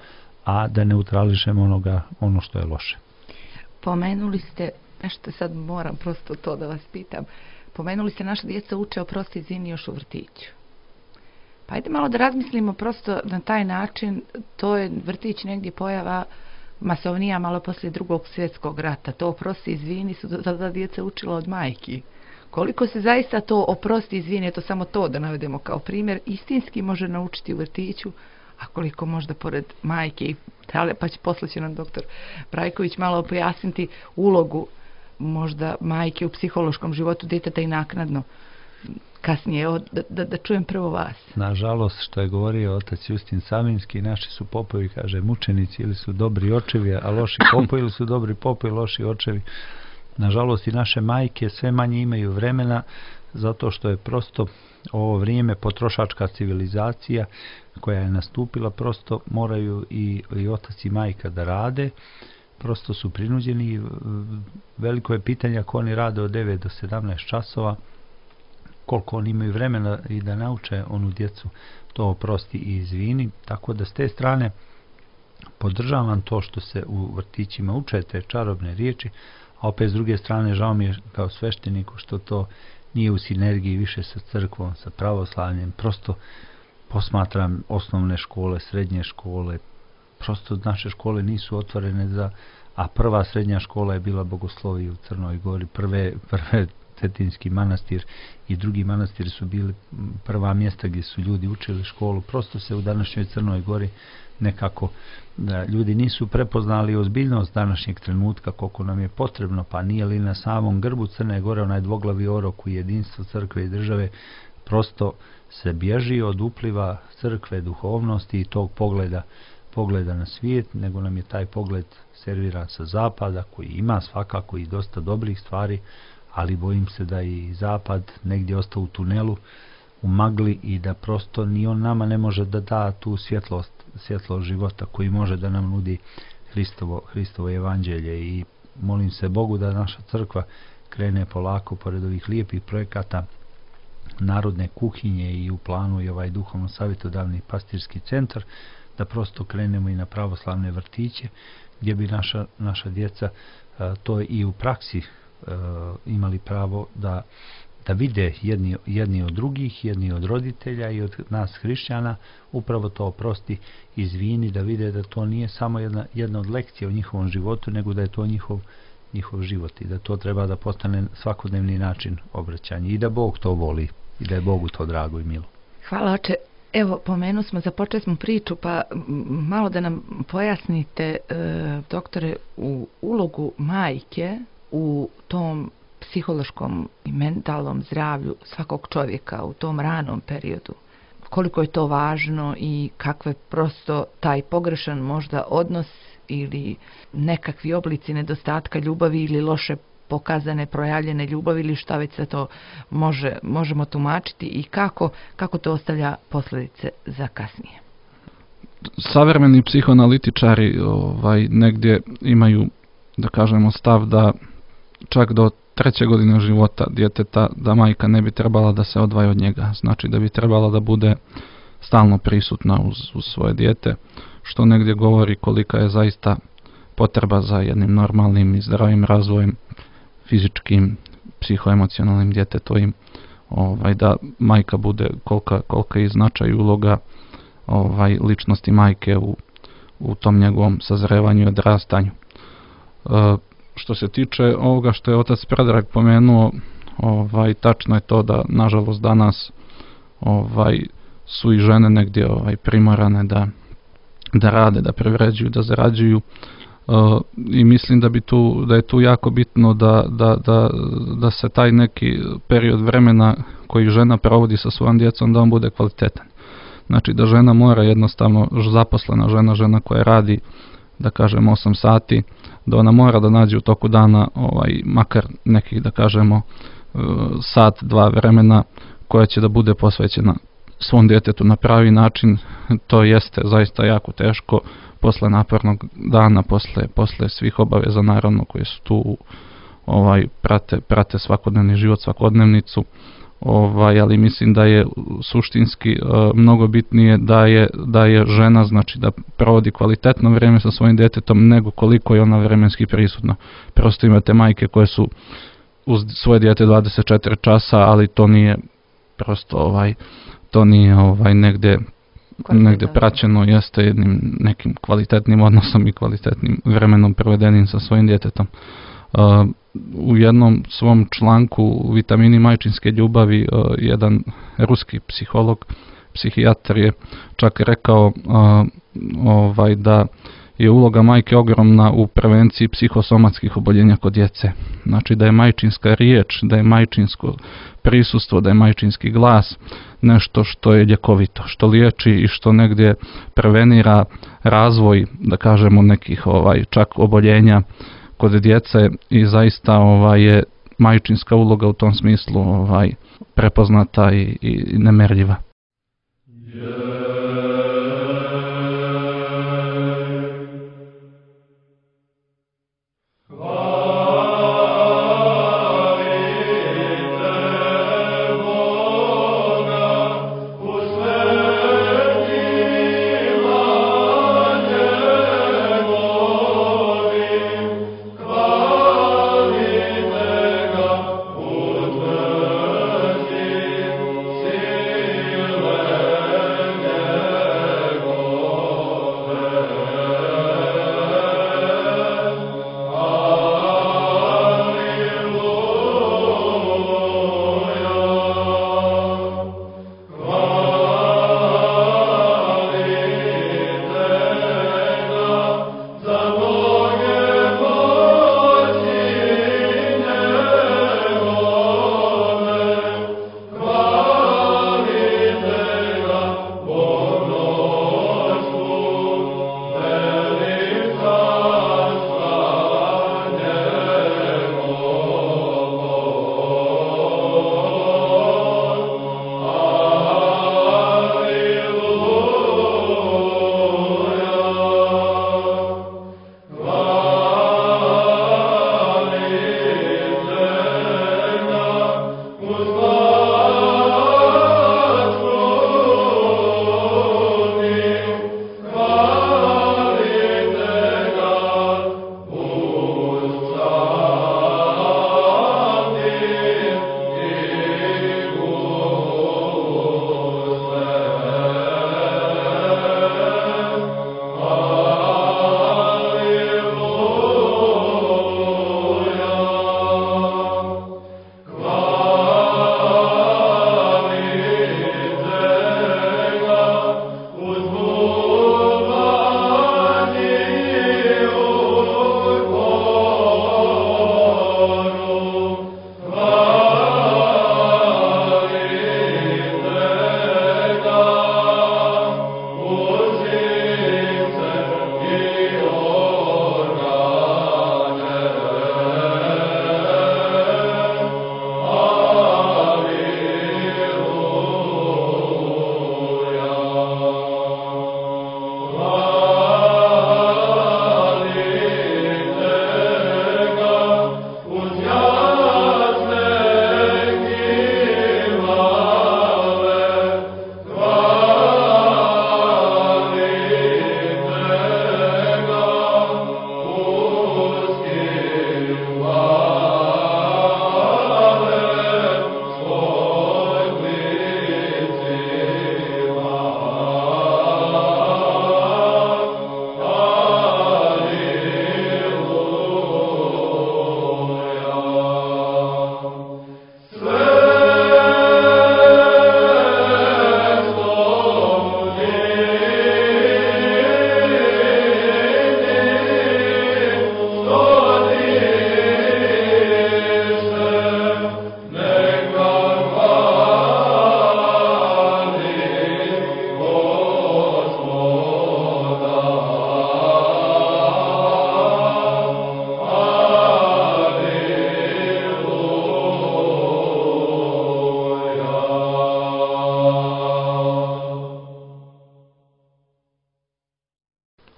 Speaker 3: a da neutrališemo ono što je loše.
Speaker 1: Pomenuli ste, nešto sad moram prosto to da vas pitam, pomenuli ste naša djeca uče oprosti, izvini još u vrtiću. Pa ajde malo da razmislimo prosto na taj način, to je vrtić negdje pojava masovnija malo poslije Drugog svjetskog rata, to oprosti, izvini su da djeca učila od majki. Koliko se zaista to oprosti, izvini, to samo to da navedemo kao primjer, istinski može naučiti u vrtiću, a koliko možda pored majke, pa će poslije će nam doktor Brajković malo pojasniti ulogu možda majke u psihološkom životu djeteta i naknadno. Kasnije, da čujem prvo vas.
Speaker 3: Nažalost, što je govorio otac Justin Savinski, naši su popovi, kaže, mučenici, ili su dobri očevi, a loši popovi, ili su dobri popovi, loši očevi. Nažalost, i naše majke sve manje imaju vremena, zato što je prosto ovo vrijeme potrošačka civilizacija koja je nastupila, prosto moraju i otac i majka da rade, prosto su prinuđeni. Veliko je pitanje ako oni rade od 9 do 17 časova, koliko oni imaju vremena i da nauče onu djecu to oprosti i izvini, tako da s te strane podržavam to što se u vrtićima uče te čarobne riječi, a opet s druge strane žao mi je kao svešteniku što to nije u sinergiji više sa crkvom, sa pravoslavljem. Prosto posmatram osnovne škole, srednje škole, prosto naše škole nisu otvorene a prva srednja škola je bila Bogoslovija u Crnoj Gori, prve Cetinski manastir i drugi manastir su bili prva mjesta gdje su ljudi učili školu. Prosto se u današnjoj Crnoj Gori nekako ljudi nisu prepoznali ozbiljnost današnjeg trenutka koliko nam je potrebno, pa nije li na samom grbu Crne Gore onaj dvoglavi orok u jedinstvo crkve i države. Prosto se bježi od upliva crkve, duhovnosti i tog pogleda na svijet, nego nam je taj pogled serviran sa zapada koji ima svakako i dosta dobrih stvari, ali bojim se da i zapad negdje ostao u tunelu, u magli i da prosto ni on nama ne može da da tu svjetlost života koji može da nam nudi Hristovo evanđelje. I molim se Bogu da naša crkva krene polako pored ovih lijepih projekata narodne kuhinje i u planu i ovaj duhovno savjetodavni pastirski centar, da prosto krenemo i na pravoslavne vrtiće gdje bi naša djeca to i u praksi imali pravo da vide jedni od drugih, jedni od roditelja i od nas hrišćana, upravo to oprosti, izvini, da vide da to nije samo jedna od lekcija u njihovom životu, nego da je to njihov život i da to treba da postane svakodnevni način obraćanja i da Bog to voli i da je Bogu to drago i milo.
Speaker 1: Hvala, oče. Evo, započeli smo priču, pa malo da nam pojasnite, doktore, u ulogu majke u tom psihološkom i mentalnom zdravlju svakog čovjeka u tom ranom periodu. Koliko je to važno i kakve prosto taj pogrešan možda odnos ili nekakvi oblici nedostatka ljubavi ili loše pokazane, projavljene ljubavi ili šta već se to možemo tumačiti i kako to ostavlja posljedice za kasnije.
Speaker 2: Savremeni psihoanalitičari negdje imaju, da kažemo, stav da čak do 3. godine života djeteta da majka ne bi trebala da se odvaja od njega. Znači da bi trebala da bude stalno prisutna uz svoje dijete, što negdje govori kolika je zaista potreba za jednim normalnim i zdravim razvojem fizičkim, psihoemocionalnim djetetovim, da majka bude kolika je značaj i uloga ličnosti majke u tom njegovom sazrevanju i odrastanju. Što se tiče ovoga što je otac Predrag pomenuo, tačno je to da nažalost danas su i žene negdje primorane da rade, da privređuju, da zarađuju, i mislim da je tu jako bitno da se taj neki period vremena koji žena provodi sa svojom djecom da on bude kvalitetan. Znači da žena mora jednostavno, zaposlena žena koja radi, da kažemo 8 sati, da ona mora da nađe u toku dana makar nekih, da kažemo, sat, 2 vremena koja će da bude posvećena svom djetetu na pravi način. To jeste zaista jako teško posle napornog dana, posle svih obaveza naravno koje su tu, prate svakodnevni život, svakodnevnicu, ali mislim da je suštinski mnogo bitnije da je žena, znači da provodi kvalitetno vrijeme sa svojim djetetom nego koliko je ona vremenski prisutna. Prosto imate majke koje su uz svoje dijete 24 časa, ali to nije prosto to nije negdje praćeno, jeste jednim nekim kvalitetnim odnosom i kvalitetnim vremenom provedenim sa svojim djetetom. U jednom svom članku Vitamini majčinske ljubavi jedan ruski psihijatar je čak rekao da je uloga majke ogromna u prevenciji psihosomatskih oboljenja kod djece. Znači da je majčinska riječ, da je majčinsko prisustvo, da je majčinski glas nešto što je ljekovito, što liječi i što negdje prevenira razvoj, da kažemo, nekih čak oboljenja kod djece i zaista je majčinska uloga u tom smislu prepoznata i nemerljiva.
Speaker 5: Hvala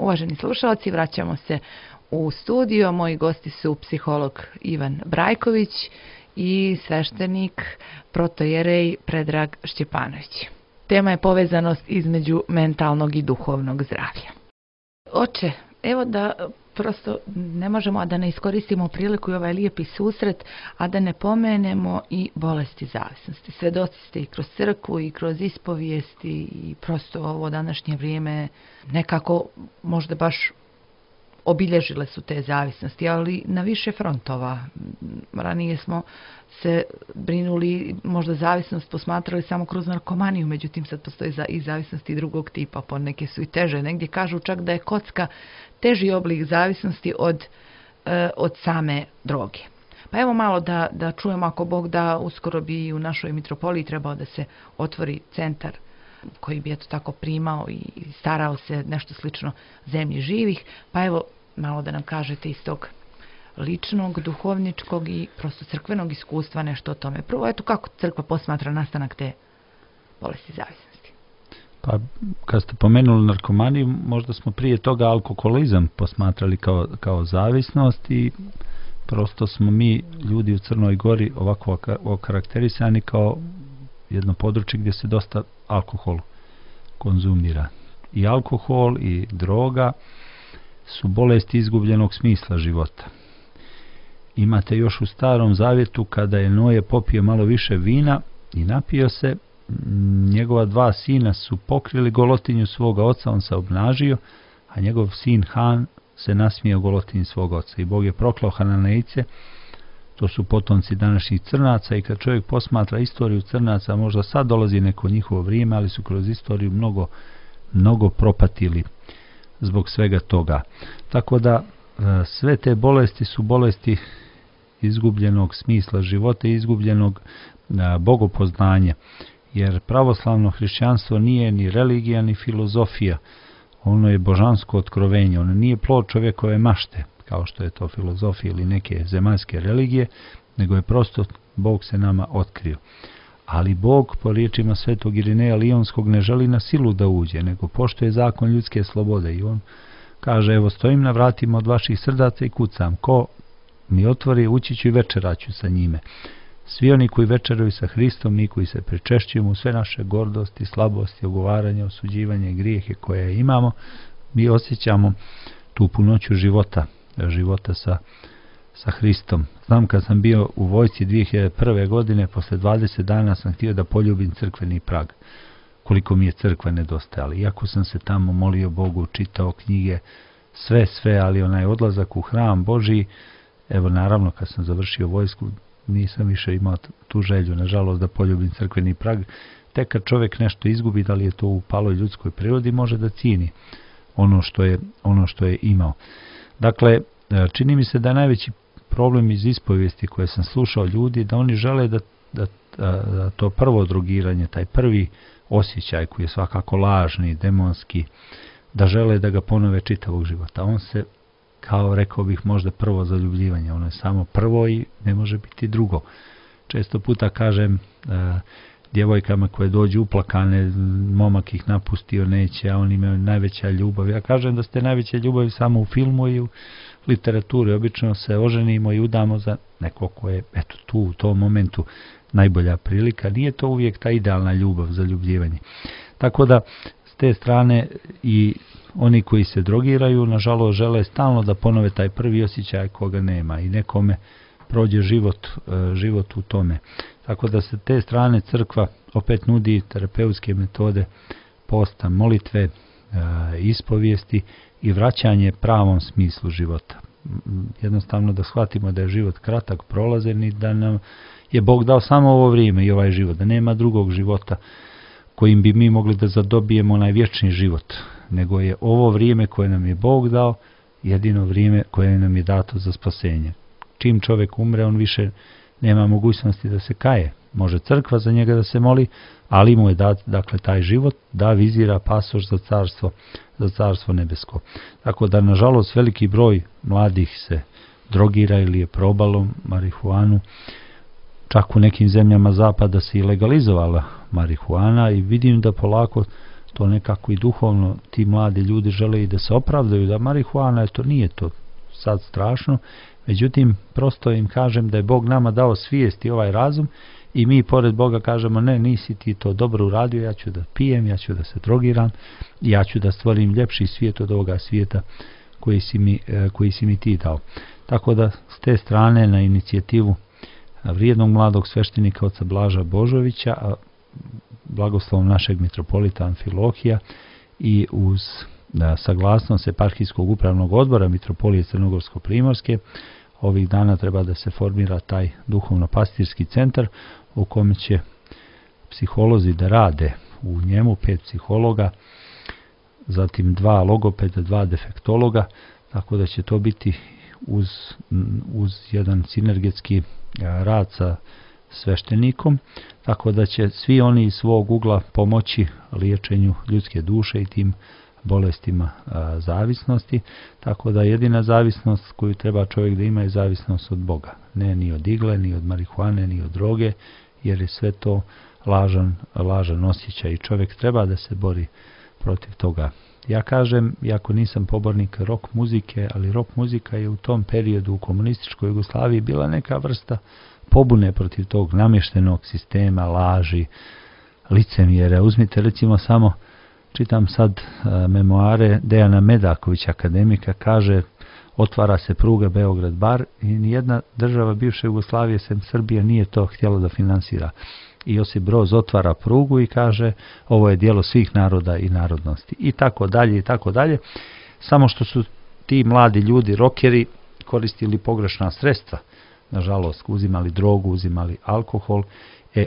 Speaker 1: Uvaženi slušalci, vraćamo se u studio. Moji gosti su psiholog Ivan Brajković i sveštenik protojerej Predrag Šćepanović. Tema je povezanost između mentalnog i duhovnog zdravlja. Oče, evo da prosto ne možemo, a da ne iskoristimo priliku i ovaj lijepi susret, a da ne pomenemo i bolesti zavisnosti. Svedoci ste i kroz crkvu i kroz ispovijesti i prosto ovo današnje vrijeme nekako možda baš obilježile su te zavisnosti, ali na više frontova. Ranije smo se brinuli, možda zavisnost posmatrali samo kroz narkomaniju, međutim sad postoji i zavisnosti drugog tipa, poneke su i teže. Negdje kažu čak da je kocka teži oblik zavisnosti od same droge. Pa evo malo da čujemo, ako Bog da, uskoro bi u našoj mitropoliji trebao da se otvori centar koji bi eto tako primao i starao se nešto slično zemlji živih. Pa evo malo da nam kažete iz tog ličnog, duhovničkog i prosto crkvenog iskustva nešto o tome. Prvo, eto kako crkva posmatra nastanak te bolesti zavisnosti.
Speaker 3: Pa kad ste pomenuli narkomaniju, možda smo prije toga alkoholizam posmatrali kao zavisnost i prosto smo mi ljudi u Crnoj Gori ovako okarakterisani kao jedno područje gdje se dosta alkohol konzumira. I alkohol i droga su bolesti izgubljenog smisla života. Imate još u Starom Zavjetu kada je Noje popio malo više vina i napio se, njegova dva sina su pokrili golotinju svoga oca, on se obnažio, a njegov sin Han se nasmijao golotinji svoga oca. I Bog je proklao Hananejce, to su potomci današnjih Crnaca, i kad čovjek posmatra istoriju Crnaca, možda sad dolazi neko njihovo vrijeme, ali su kroz istoriju mnogo propatili zbog svega toga. Tako da sve te bolesti su bolesti izgubljenog smisla života i izgubljenog bogopoznanja, jer pravoslavno hrišćanstvo nije ni religija ni filozofija, ono je božansko otkrovenje, ono nije plod čovjekove mašte kao što je to filozofija ili neke zemaljske religije, nego je prosto Bog se nama otkrio. Ali Bog, po riječima svetog Irineja Lionskog, ne želi na silu da uđe, nego poštuje zakon ljudske slobode i on kaže, evo stojim na vratima od vaših srdaca i kucam, ko mi otvori, ući ću i večeraću sa njime. Svi oni koji večeraju sa Hristom, mi koji se pričešćujemo u sve naše gordosti, slabosti, ogovaranja, osuđivanje, grijehe koje imamo, mi osjećamo tu punoću života sa Hristom. Znam kad sam bio u vojsci 2001. godine, posle 20 dana sam htio da poljubim crkveni prag. Koliko mi je crkva nedostajala. Iako sam se tamo molio Bogu, čitao knjige, sve, ali onaj odlazak u hram Božji, evo naravno kad sam završio vojsku, nisam više imao tu želju, nažalost, da poljubim crkveni prag. Tek kad čovjek nešto izgubi, da li je to u paloj ljudskoj prirodi, može da cijeni ono što je imao. Dakle, čini mi se da je najveći problem iz ispovijesti koje sam slušao ljudi, da oni žele da to prvo drogiranje, taj prvi osjećaj koji je svakako lažni, demonski, da žele da ga ponove čitavog života. On se, kao rekao bih, možda prvo zaljubljivanje, ono je samo prvo i ne može biti drugo. Često puta kažem djevojkama koje dođu uplakane, momak ih napustio, neće, a oni imaju najveća ljubav. Ja kažem da ste najveća ljubav samo u filmu i u literaturi. Obično se oženimo i udamo za neko ko je tu u tom momentu najbolja prilika. Nije to uvijek ta idealna ljubav, zaljubljivanje. Tako da s te strane i oni koji se drogiraju, nažalost, žele stalno da ponove taj prvi osjećaj koga nema i nekome prođe život u tome. Tako da se te strane crkva opet nudi terapeutske metode posta, molitve, ispovijesti i vraćanje pravom smislu života. Jednostavno da shvatimo da je život kratak, prolazan i da nam je Bog dao samo ovo vrijeme i ovaj život, da nema drugog života kojim bi mi mogli da zadobijemo onaj vječni život, nego je ovo vrijeme koje nam je Bog dao jedino vrijeme koje nam je dato za spasenje. Čim čovjek umre, on više nema mogućnosti da se kaje. Može crkva za njega da se moli, ali mu je dat, dakle, taj život da vizira pasoš za carstvo nebesko. Tako da, nažalost, veliki broj mladih se drogira ili je probalo marihuanu. Čak u nekim zemljama zapada se i legalizovala marihuana i vidim da polako to nekako i duhovno ti mladi ljudi žele i da se opravdaju da marihuana, to nije to sad strašno, međutim prosto im kažem da je Bog nama dao svijest i ovaj razum i mi pored Boga kažemo ne, nisi ti to dobro uradio, ja ću da pijem, ja ću da se drogiram, ja ću da stvorim ljepši svijet od ovoga svijeta koji si mi ti dao. Tako da s te strane na inicijativu vrijednog mladog sveštenika oca Blaža Božovića, a blagoslovom našeg mitropolita Amfilohija i uz saglasnost eparhijskog upravnog odbora Mitropolije Crnogorsko-Primorske, ovih dana treba da se formira taj duhovno-pastirski centar u kome će psiholozi da rade u njemu, 5 psihologa, zatim 2 logopeda, 2 defektologa, tako da će to biti uz jedan sinergetski rad sa sveštenikom, tako da će svi oni iz svog ugla pomoći liječenju ljudske duše i tim bolestima zavisnosti, tako da jedina zavisnost koju treba čovjek da ima je zavisnost od Boga, ne ni od igle, ni od marihuane, ni od droge, jer je sve to lažan osjećaj i čovjek treba da se bori protiv toga. Ja kažem, iako nisam pobornik rock muzike, ali rock muzika je u tom periodu u komunističkoj Jugoslaviji bila neka vrsta pobune protiv tog namještenog sistema, laži, licemjera. Uzmite recimo samo, čitam sad memoare Dejana Medakovića, akademika, kaže otvara se pruga Beograd-Bar i nijedna država bivše Jugoslavije sem Srbije nije to htjela da finansira. I Josip Broz otvara prugu i kaže ovo je djelo svih naroda i narodnosti. I tako dalje, i tako dalje. Samo što su ti mladi ljudi, rokeri, koristili pogrešna sredstva. Nažalost, uzimali drogu, uzimali alkohol.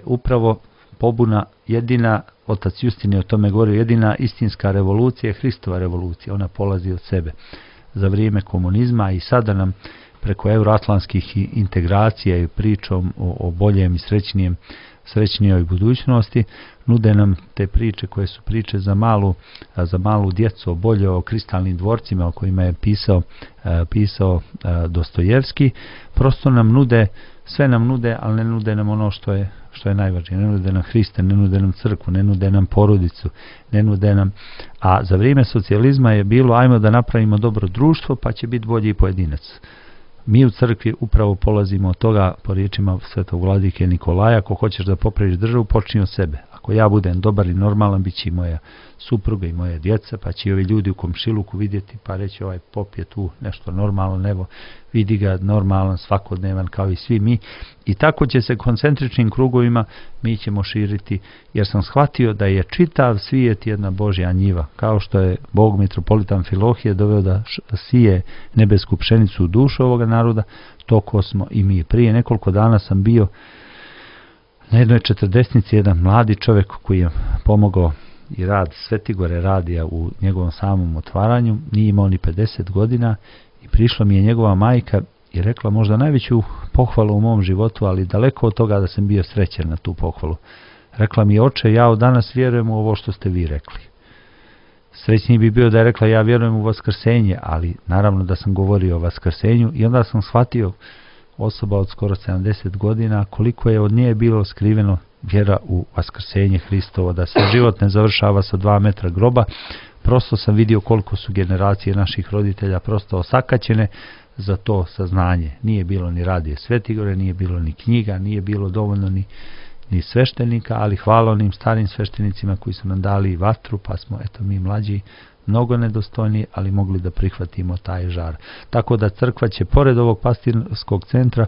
Speaker 3: Upravo pobuna jedina, otac Justin je o tome govorio, jedina istinska revolucija je Hristova revolucija. Ona polazi od sebe. Za vrijeme komunizma i sada nam preko euroatlantskih integracija i pričom o boljem i srećnijoj budućnosti nude nam te priče koje su priče za malu djecu, bolje o kristalnim dvorcima o kojima je pisao Dostojevski. Prosto nam nude, sve nam nude, ali ne nude nam ono što je najvažnije. Ne nude nam Hrista, ne nude nam crkvu, ne nude nam porodicu, ne nude nam... A za vrijeme socijalizma je bilo ajmo da napravimo dobro društvo pa će biti bolji pojedinac. Mi u crkvi upravo polazimo od toga, po riječima svetog vladike Nikolaja, ako hoćeš da popraviš državu, počni od sebe. Ako ja budem dobar i normalan, bit će i moja supruga i moja djeca, pa će i ovi ljudi u komšiluku vidjeti, pa reći ovaj pop je tu nešto normalno, evo vidi ga normalan, svakodnevan kao i svi mi. I tako će se koncentričnim krugovima mi ćemo širiti, jer sam shvatio da je čitav svijet jedna Božja njiva, kao što je Bog mitropolita Amfilohije doveo da sije nebesku pšenicu u dušu ovoga naroda, toko smo i mi. Prije nekoliko dana sam bio na jednoj 40-nici, jedan mladi čovjek koji je pomogao i rad Svetigore radija u njegovom samom otvaranju, nije imao ni 50 godina i prišla mi je njegova majka i rekla možda najveću pohvalu u mom životu, ali daleko od toga da sam bio srećan na tu pohvalu. Rekla mi je, oče, ja od danas vjerujem u ovo što ste vi rekli. Srećniji bi bio da je rekla ja vjerujem u vaskrsenje, ali naravno da sam govorio o vaskrsenju i onda sam shvatio, osoba od skoro 70 godina, koliko je od nje bilo skriveno vjera u vaskrsenje Hristovo, da se život ne završava sa 2 metra groba. Prosto sam vidio koliko su generacije naših roditelja prosto osakaćene za to saznanje. Nije bilo ni radije Svetigore, nije bilo ni knjiga, nije bilo dovoljno ni sveštenika, ali hvala onim starim sveštenicima koji su nam dali vatru, pa smo, eto, mi mlađi mnogo nedostojni, ali mogli da prihvatimo taj žar. Tako da crkva će pored ovog pastirskog centra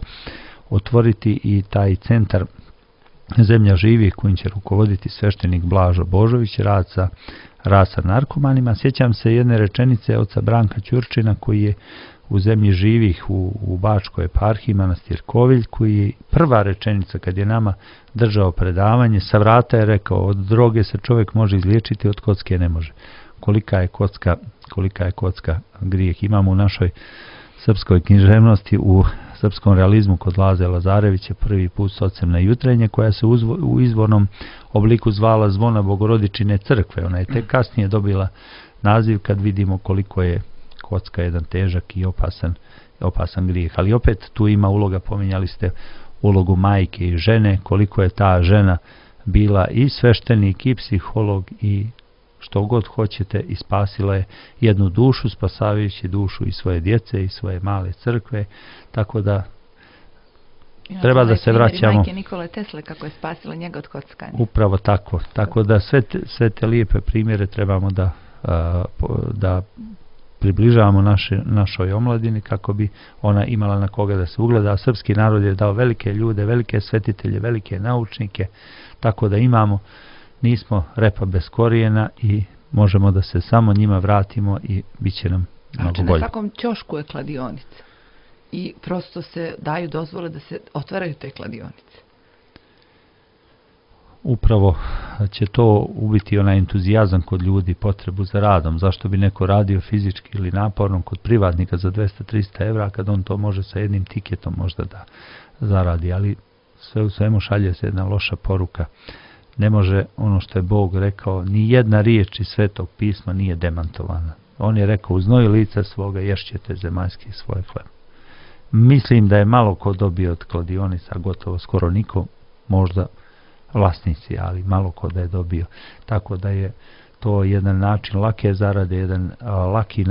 Speaker 3: otvoriti i taj centar Zemlja živih kojim će rukovoditi sveštenik Blažo Božović, rad sa narkomanima. Sjećam se jedne rečenice oca Branka Ćurčina koji je u Zemlji živih u Bačkoj eparhiji, manastir Kovilj, koji je prva rečenica kad je nama držao predavanje, sa vrata je rekao, od droge se čovjek može izliječiti, od kocke ne može. Kolika je kocka grijeh. Imamo u našoj srpskoj književnosti, u srpskom realizmu kod Laze Lazarevića prvi put Socemna jutrenje, koja se u izvornom obliku zvala Zvona Bogorodičine crkve. Ona je tek kasnije dobila naziv kad vidimo koliko je kocka jedan težak i opasan grijeh. Ali opet tu ima uloga, pominjali ste ulogu majke i žene, koliko je ta žena bila i sveštenik i psiholog i što god hoćete i spasila je jednu dušu, spasavajući dušu i svoje djece i svoje male crkve, tako da treba da se vraćamo.
Speaker 1: Majke Nikole Tesle kako je spasila njega od kockanja.
Speaker 3: Upravo tako. Tako da sve te lijepe primjere trebamo da približavamo našoj omladini kako bi ona imala na koga da se ugleda. A srpski narod je dao velike ljude, velike svetitelje, velike naučnike, tako da nismo repa bez korijena i možemo da se samo njima vratimo i bit će nam mnogo bolje.
Speaker 1: Na svakom ćošku je kladionica i prosto se daju dozvole da se otvaraju te kladionice.
Speaker 3: Upravo će to ubiti onaj entuzijazam kod ljudi, potrebu za radom. Zašto bi neko radio fizički ili naporno kod privatnika za 200-300 evra kad on to može sa jednim tiketom možda da zaradi, ali sve u svemu šalje se jedna loša poruka. Ne može ono što je Bog rekao, ni jedna riječ iz Svetog pisma nije demantovana. On je rekao, u znoju lica svoga ješćete zemaljski svoj hleb. Mislim da je malo ko dobio od kladionica, gotovo skoro niko, možda vlasnici, ali malo ko da je dobio. Tako da je to jedan način lake zarade, jedan laki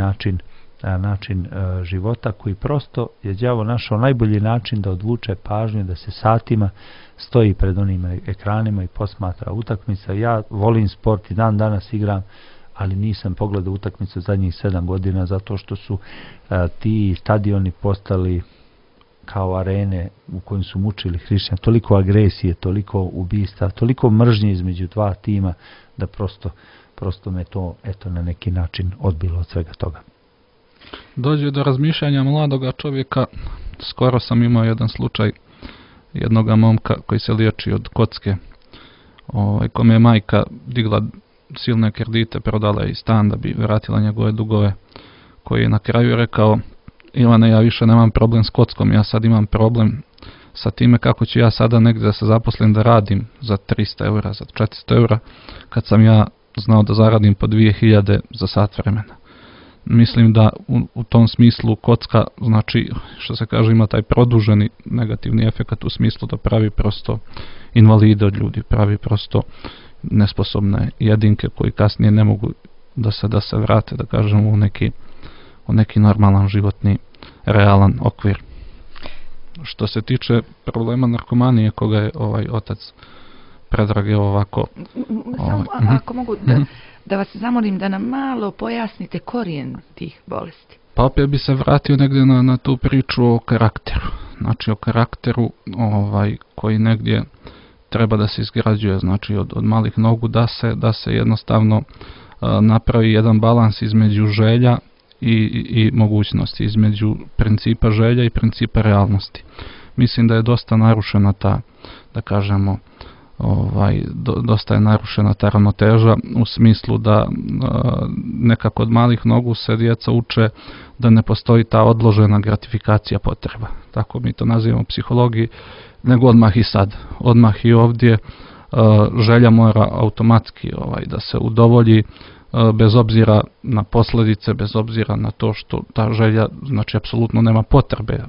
Speaker 3: način života koji prosto je đavo našao najbolji način da odvuče pažnju, da se satima stoji pred onim ekranima i posmatra utakmice. Ja volim sport i dan danas igram, ali nisam pogledao utakmicu zadnjih 7 godina zato što su ti stadioni postali kao arene u kojim su mučili hrišćani. Toliko agresije, toliko ubista, toliko mržnje između dva tima da prosto me to na neki način odbilo od svega toga.
Speaker 2: Dođe do razmišljanja mladoga čovjeka. Skoro sam imao jedan slučaj jednoga momka koji se liječi od kocke, kome je majka digla silne kredite, prodala je i stan da bi vratila njegove dugove, koji je na kraju rekao: Ivane, ja više nemam problem s kockom, ja sad imam problem sa time kako ću ja sada negdje da se zaposlim da radim za 300 eura, za 400 eura, kad sam ja znao da zaradim po 2000 za sat vremena. Mislim da u tom smislu kocka, znači, što se kaže, ima taj produženi negativni efekt u smislu da pravi prosto invalide od ljudi, pravi prosto nesposobne jedinke koji kasnije ne mogu da se vrate, da kažemo, u neki normalan životni, realan okvir. Što se tiče problema narkomanije koga je otac Predrag ovako...
Speaker 1: Samo ako mogu da vas zamolim da nam malo pojasnite korijen tih bolesti.
Speaker 2: Pa opet bi se vratio negdje na tu priču o karakteru. Znači o karakteru koji negdje treba da se izgrađuje, znači od malih nogu da se jednostavno napravi jedan balans između želja i mogućnosti, između principa želja i principa realnosti. Mislim da je dosta narušena ta, da kažemo, dosta je narušena ta ravnoteža u smislu da nekako od malih nogu se djeca uče da ne postoji ta odložena gratifikacija potreba. Tako mi to nazivamo u psihologiji, nego odmah i sad. Odmah i ovdje želja mora automatski da se udovolji bez obzira na posljedice, bez obzira na to što ta želja, znači, apsolutno nema potrebe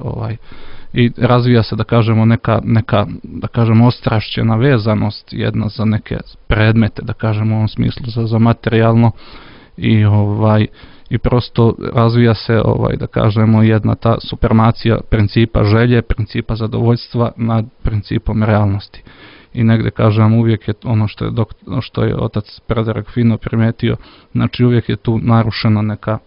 Speaker 2: i razvija se, da kažemo, neka da kažemo, ostrašćena vezanost jedna za neke predmete, da kažemo, u ovom smislu za materijalno i prosto razvija se, da kažemo, jedna ta supremacija principa želje, principa zadovoljstva nad principom realnosti. I negdje, kažem, uvijek je ono što je otac Predrag fino primijetio, znači uvijek je tu narušena neka,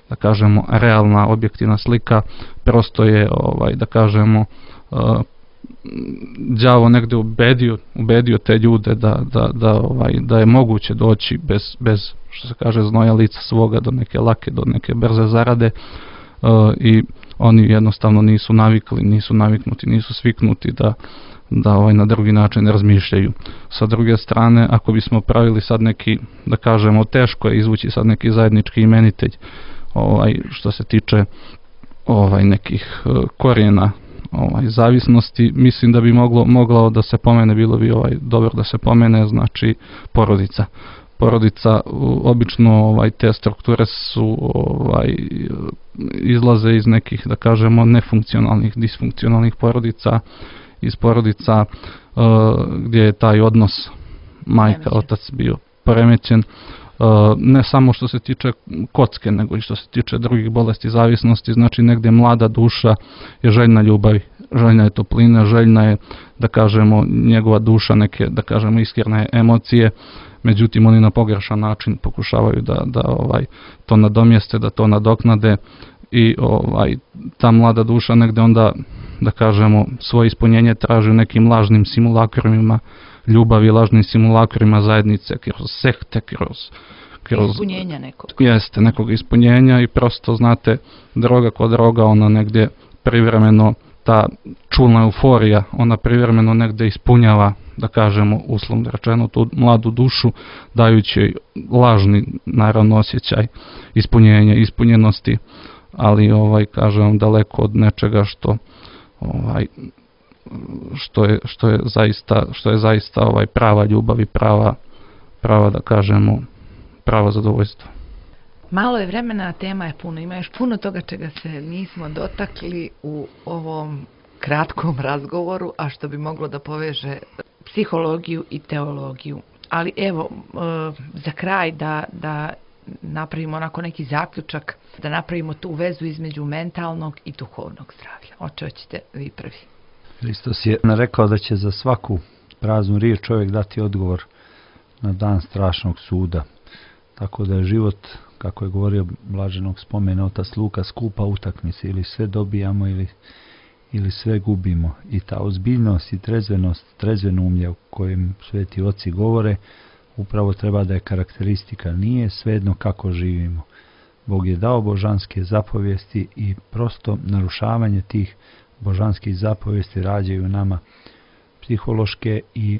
Speaker 2: da kažemo, realna, objektivna slika, prosto je, da kažemo, đavo negdje ubedio te ljude da je moguće doći bez, što se kaže, znoja lica svoga do neke lake, do neke brze zarade, i oni jednostavno nisu naviknuti, nisu sviknuti da na drugi način razmišljaju. Sa druge strane, ako bismo pravili sad neki, da kažemo, teško je izvući sad neki zajednički imenitelj što se tiče nekih korijena zavisnosti, mislim da bi moglo da se pomene, bilo bi dobro da se pomene, znači porodica. Porodica, obično te strukture su izlaze iz nekih, da kažemo, nefunkcionalnih, disfunkcionalnih porodica, iz porodica gdje je taj odnos majka, otac bio poremećen, ne samo što se tiče kocke, nego i što se tiče drugih bolesti zavisnosti. Znači negdje mlada duša je željna ljubavi, željna je topline, željna je, da kažemo, njegova duša neke, da kažemo, iskrene emocije, međutim oni na pogrešan način pokušavaju da to nadomjeste, da to nadoknade i ta mlada duša negdje onda, da kažemo, svoje ispunjenje traži u nekim lažnim simulakrima ljubavi, lažnim simulakrima zajednice, kroz sekte, kroz
Speaker 1: ispunjenja nekog.
Speaker 2: Jeste, nekog ispunjenja i prosto, znate, droga kod droga, ona negdje privremeno, ta čulna euforija, ona privremeno negdje ispunjava, da kažemo, uslovno rečeno, tu mladu dušu, dajući lažni, naravno, osjećaj ispunjenja, ispunjenosti, ali, kažem, daleko od nečega što je zaista prava ljubav i prava, da kažemo, pravo zadovoljstvo.
Speaker 1: Malo je vremena, tema je puno, ima još puno toga čega se nismo dotakli u ovom kratkom razgovoru, a što bi moglo da poveže psihologiju i teologiju. Ali evo, za kraj da napravimo onako neki zaključak, da napravimo tu vezu između mentalnog i duhovnog zdravlja. Hoćete vi prvi?
Speaker 3: Hristos je rekao da će za svaku praznu riječ čovjek dati odgovor na dan strašnog suda. Tako da je život, kako je govorio blaženog spomena otac Luka, skupa utakmica, ili sve dobijamo ili sve gubimo. I ta ozbiljnost i trezvenost, trezvenumlje o kojem sveti oci govore, upravo treba da je karakteristika. Nije svejedno kako živimo. Bog je dao božanske zapovijesti i prosto narušavanje tih božanskih zapovijesti rađaju nama psihološke i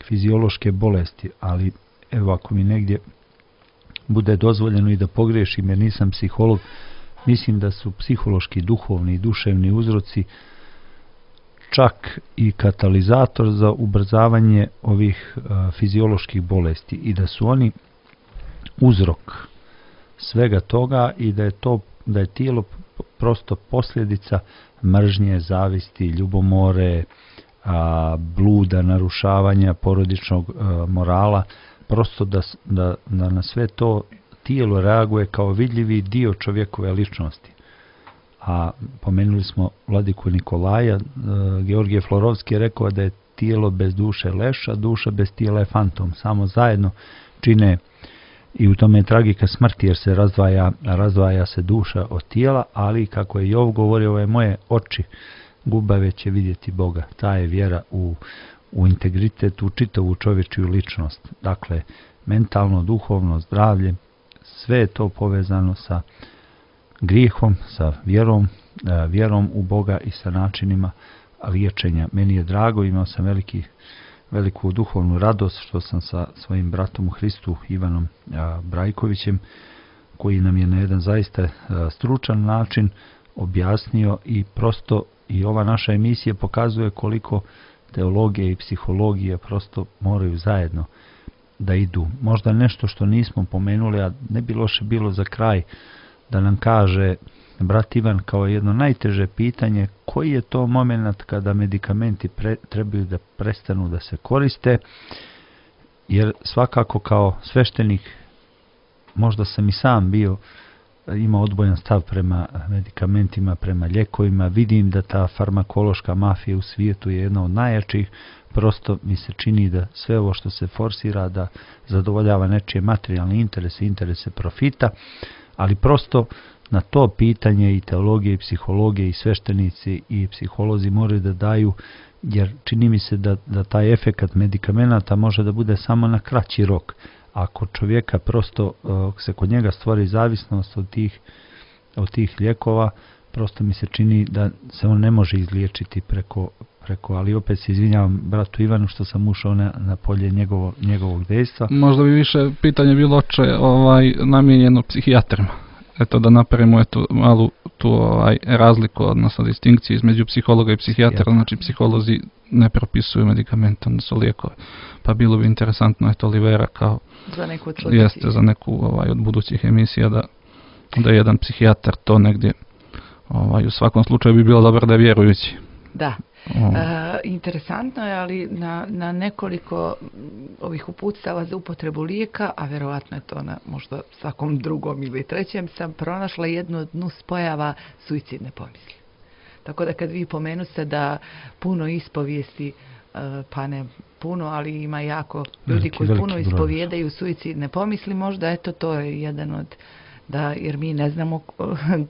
Speaker 3: fiziološke bolesti, ali evo, ako mi negdje bude dozvoljeno i da pogriješim jer nisam psiholog, mislim da su psihološki, duhovni i duševni uzroci čak i katalizator za ubrzavanje ovih fizioloških bolesti i da su oni uzrok svega toga i da je tijelo prosto posljedica mržnje, zavisti, ljubomore, bluda, narušavanja porodičnog morala, prosto da na sve to tijelo reaguje kao vidljivi dio čovjekove ličnosti. A pomenuli smo vladiku Nikolaja, Georgije Florovski je rekao da je tijelo bez duše leš, a duša bez tijela je fantom. Samo zajedno čine, i u tome je tragika smrti jer se razdvaja se duša od tijela, ali kako je Jov govorio, ove moje oči gubave će vidjeti Boga. Ta je vjera u integritet, u čitavu čovječiju ličnost. Dakle, mentalno, duhovno zdravlje, sve je to povezano sa grijehom, sa vjerom u Boga i sa načinima liječenja. Meni je drago, imao sam veliku duhovnu radost što sam sa svojim bratom u Hristu, Ivanom Brajkovićem, koji nam je na jedan zaista stručan način objasnio i prosto i ova naša emisija pokazuje koliko teologija i psihologija prosto moraju zajedno da idu. Možda nešto što nismo pomenuli, a ne bi loše bilo za kraj da nam kaže brat Ivan kao jedno najteže pitanje, koji je to moment kada medikamenti trebaju da prestanu da se koriste, jer svakako kao sveštenik, možda sam i sam imao odbojan stav prema medikamentima, prema ljekovima, vidim da ta farmakološka mafija u svijetu je jedna od najjačih, prosto mi se čini da sve ovo što se forsira da zadovoljava nečije materijalne interese profita, ali prosto na to pitanje i teologije i psihologije i sveštenici i psiholozi moraju da daju, jer čini mi se da taj efekat medikamenata može da bude samo na kraći rok. Ako čovjeka prosto se kod njega stvori zavisnost od tih lijekova, prosto mi se čini da se on ne može izliječiti preko, ali opet se izvinjavam bratu Ivanu što sam ušao na polje njegovog dejstva.
Speaker 2: Možda bi više pitanje bilo namijenjeno psihijatrima. Eto da napravimo malu tu razliku, odnosno distinkciju između psihologa i psihijatra. Znači psiholozi ne propisuju medikamente, onda su lijekove. Pa bilo bi interesantno, Olivera kao za neku od budućih emisija da jedan psihijatar to negdje, u svakom slučaju bi bilo dobro da je vjerujući.
Speaker 1: Da. Interesantno je, ali na nekoliko ovih uputstava za upotrebu lijeka, a verovatno je to na možda svakom drugom ili trećem, sam pronašla jednu od nuspojava suicidne pomisli. Tako da kad vi pomenuste da puno ispovijesti, pa ne puno, ali ima jako ljudi koji puno ispovijedaju suicidne pomisli, možda eto to je jedan od, jer mi ne znamo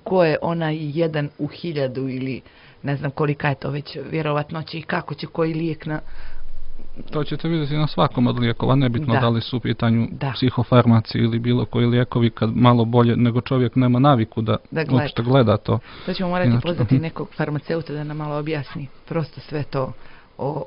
Speaker 1: ko je onaj 1 u 1000 ili ne znam kolika je to već vjerovatnoća i kako će koji lijek na...
Speaker 2: To ćete vidjeti na svakom od lijekova, nebitno da li su u pitanju psihofarmaci ili bilo koji lijekovi, kad malo bolje nego čovjek nema naviku da uopšte gleda to.
Speaker 1: To ćemo morati pozvati nekog farmaceuta da nam malo objasni prosto sve to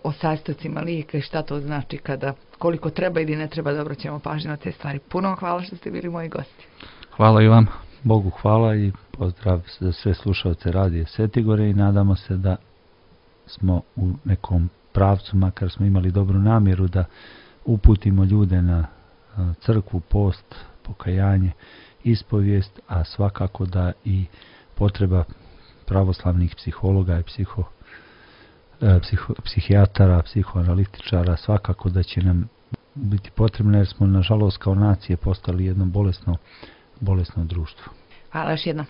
Speaker 1: o sastojcima lijeka i šta to znači kada, koliko treba ili ne treba da obraćamo pažnju na te stvari. Puno hvala što ste bili moji gosti.
Speaker 2: Hvala i vam.
Speaker 3: Bogu hvala i pozdrav za sve slušalce Radija Svetigore i nadamo se da smo u nekom pravcu, makar smo imali dobru namjeru da uputimo ljude na crkvu, post, pokajanje, ispovijest, a svakako da i potreba pravoslavnih psihologa i psihijatara, psihoanalitičara svakako da će nam biti potrebno, jer smo nažalost kao nacije postali jedno bolesno društvo.
Speaker 1: Hvala još jednom.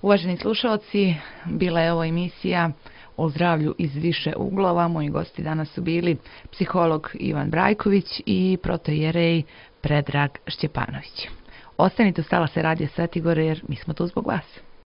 Speaker 1: Uvaženi slušalci, bila je ovo emisija o zdravlju iz više uglova. Moji gosti danas su bili psiholog Ivan Brajković i protoijerej Predrag Šćepanović. Ostanite uz talase Radija Svetigore jer mi smo tu zbog vas.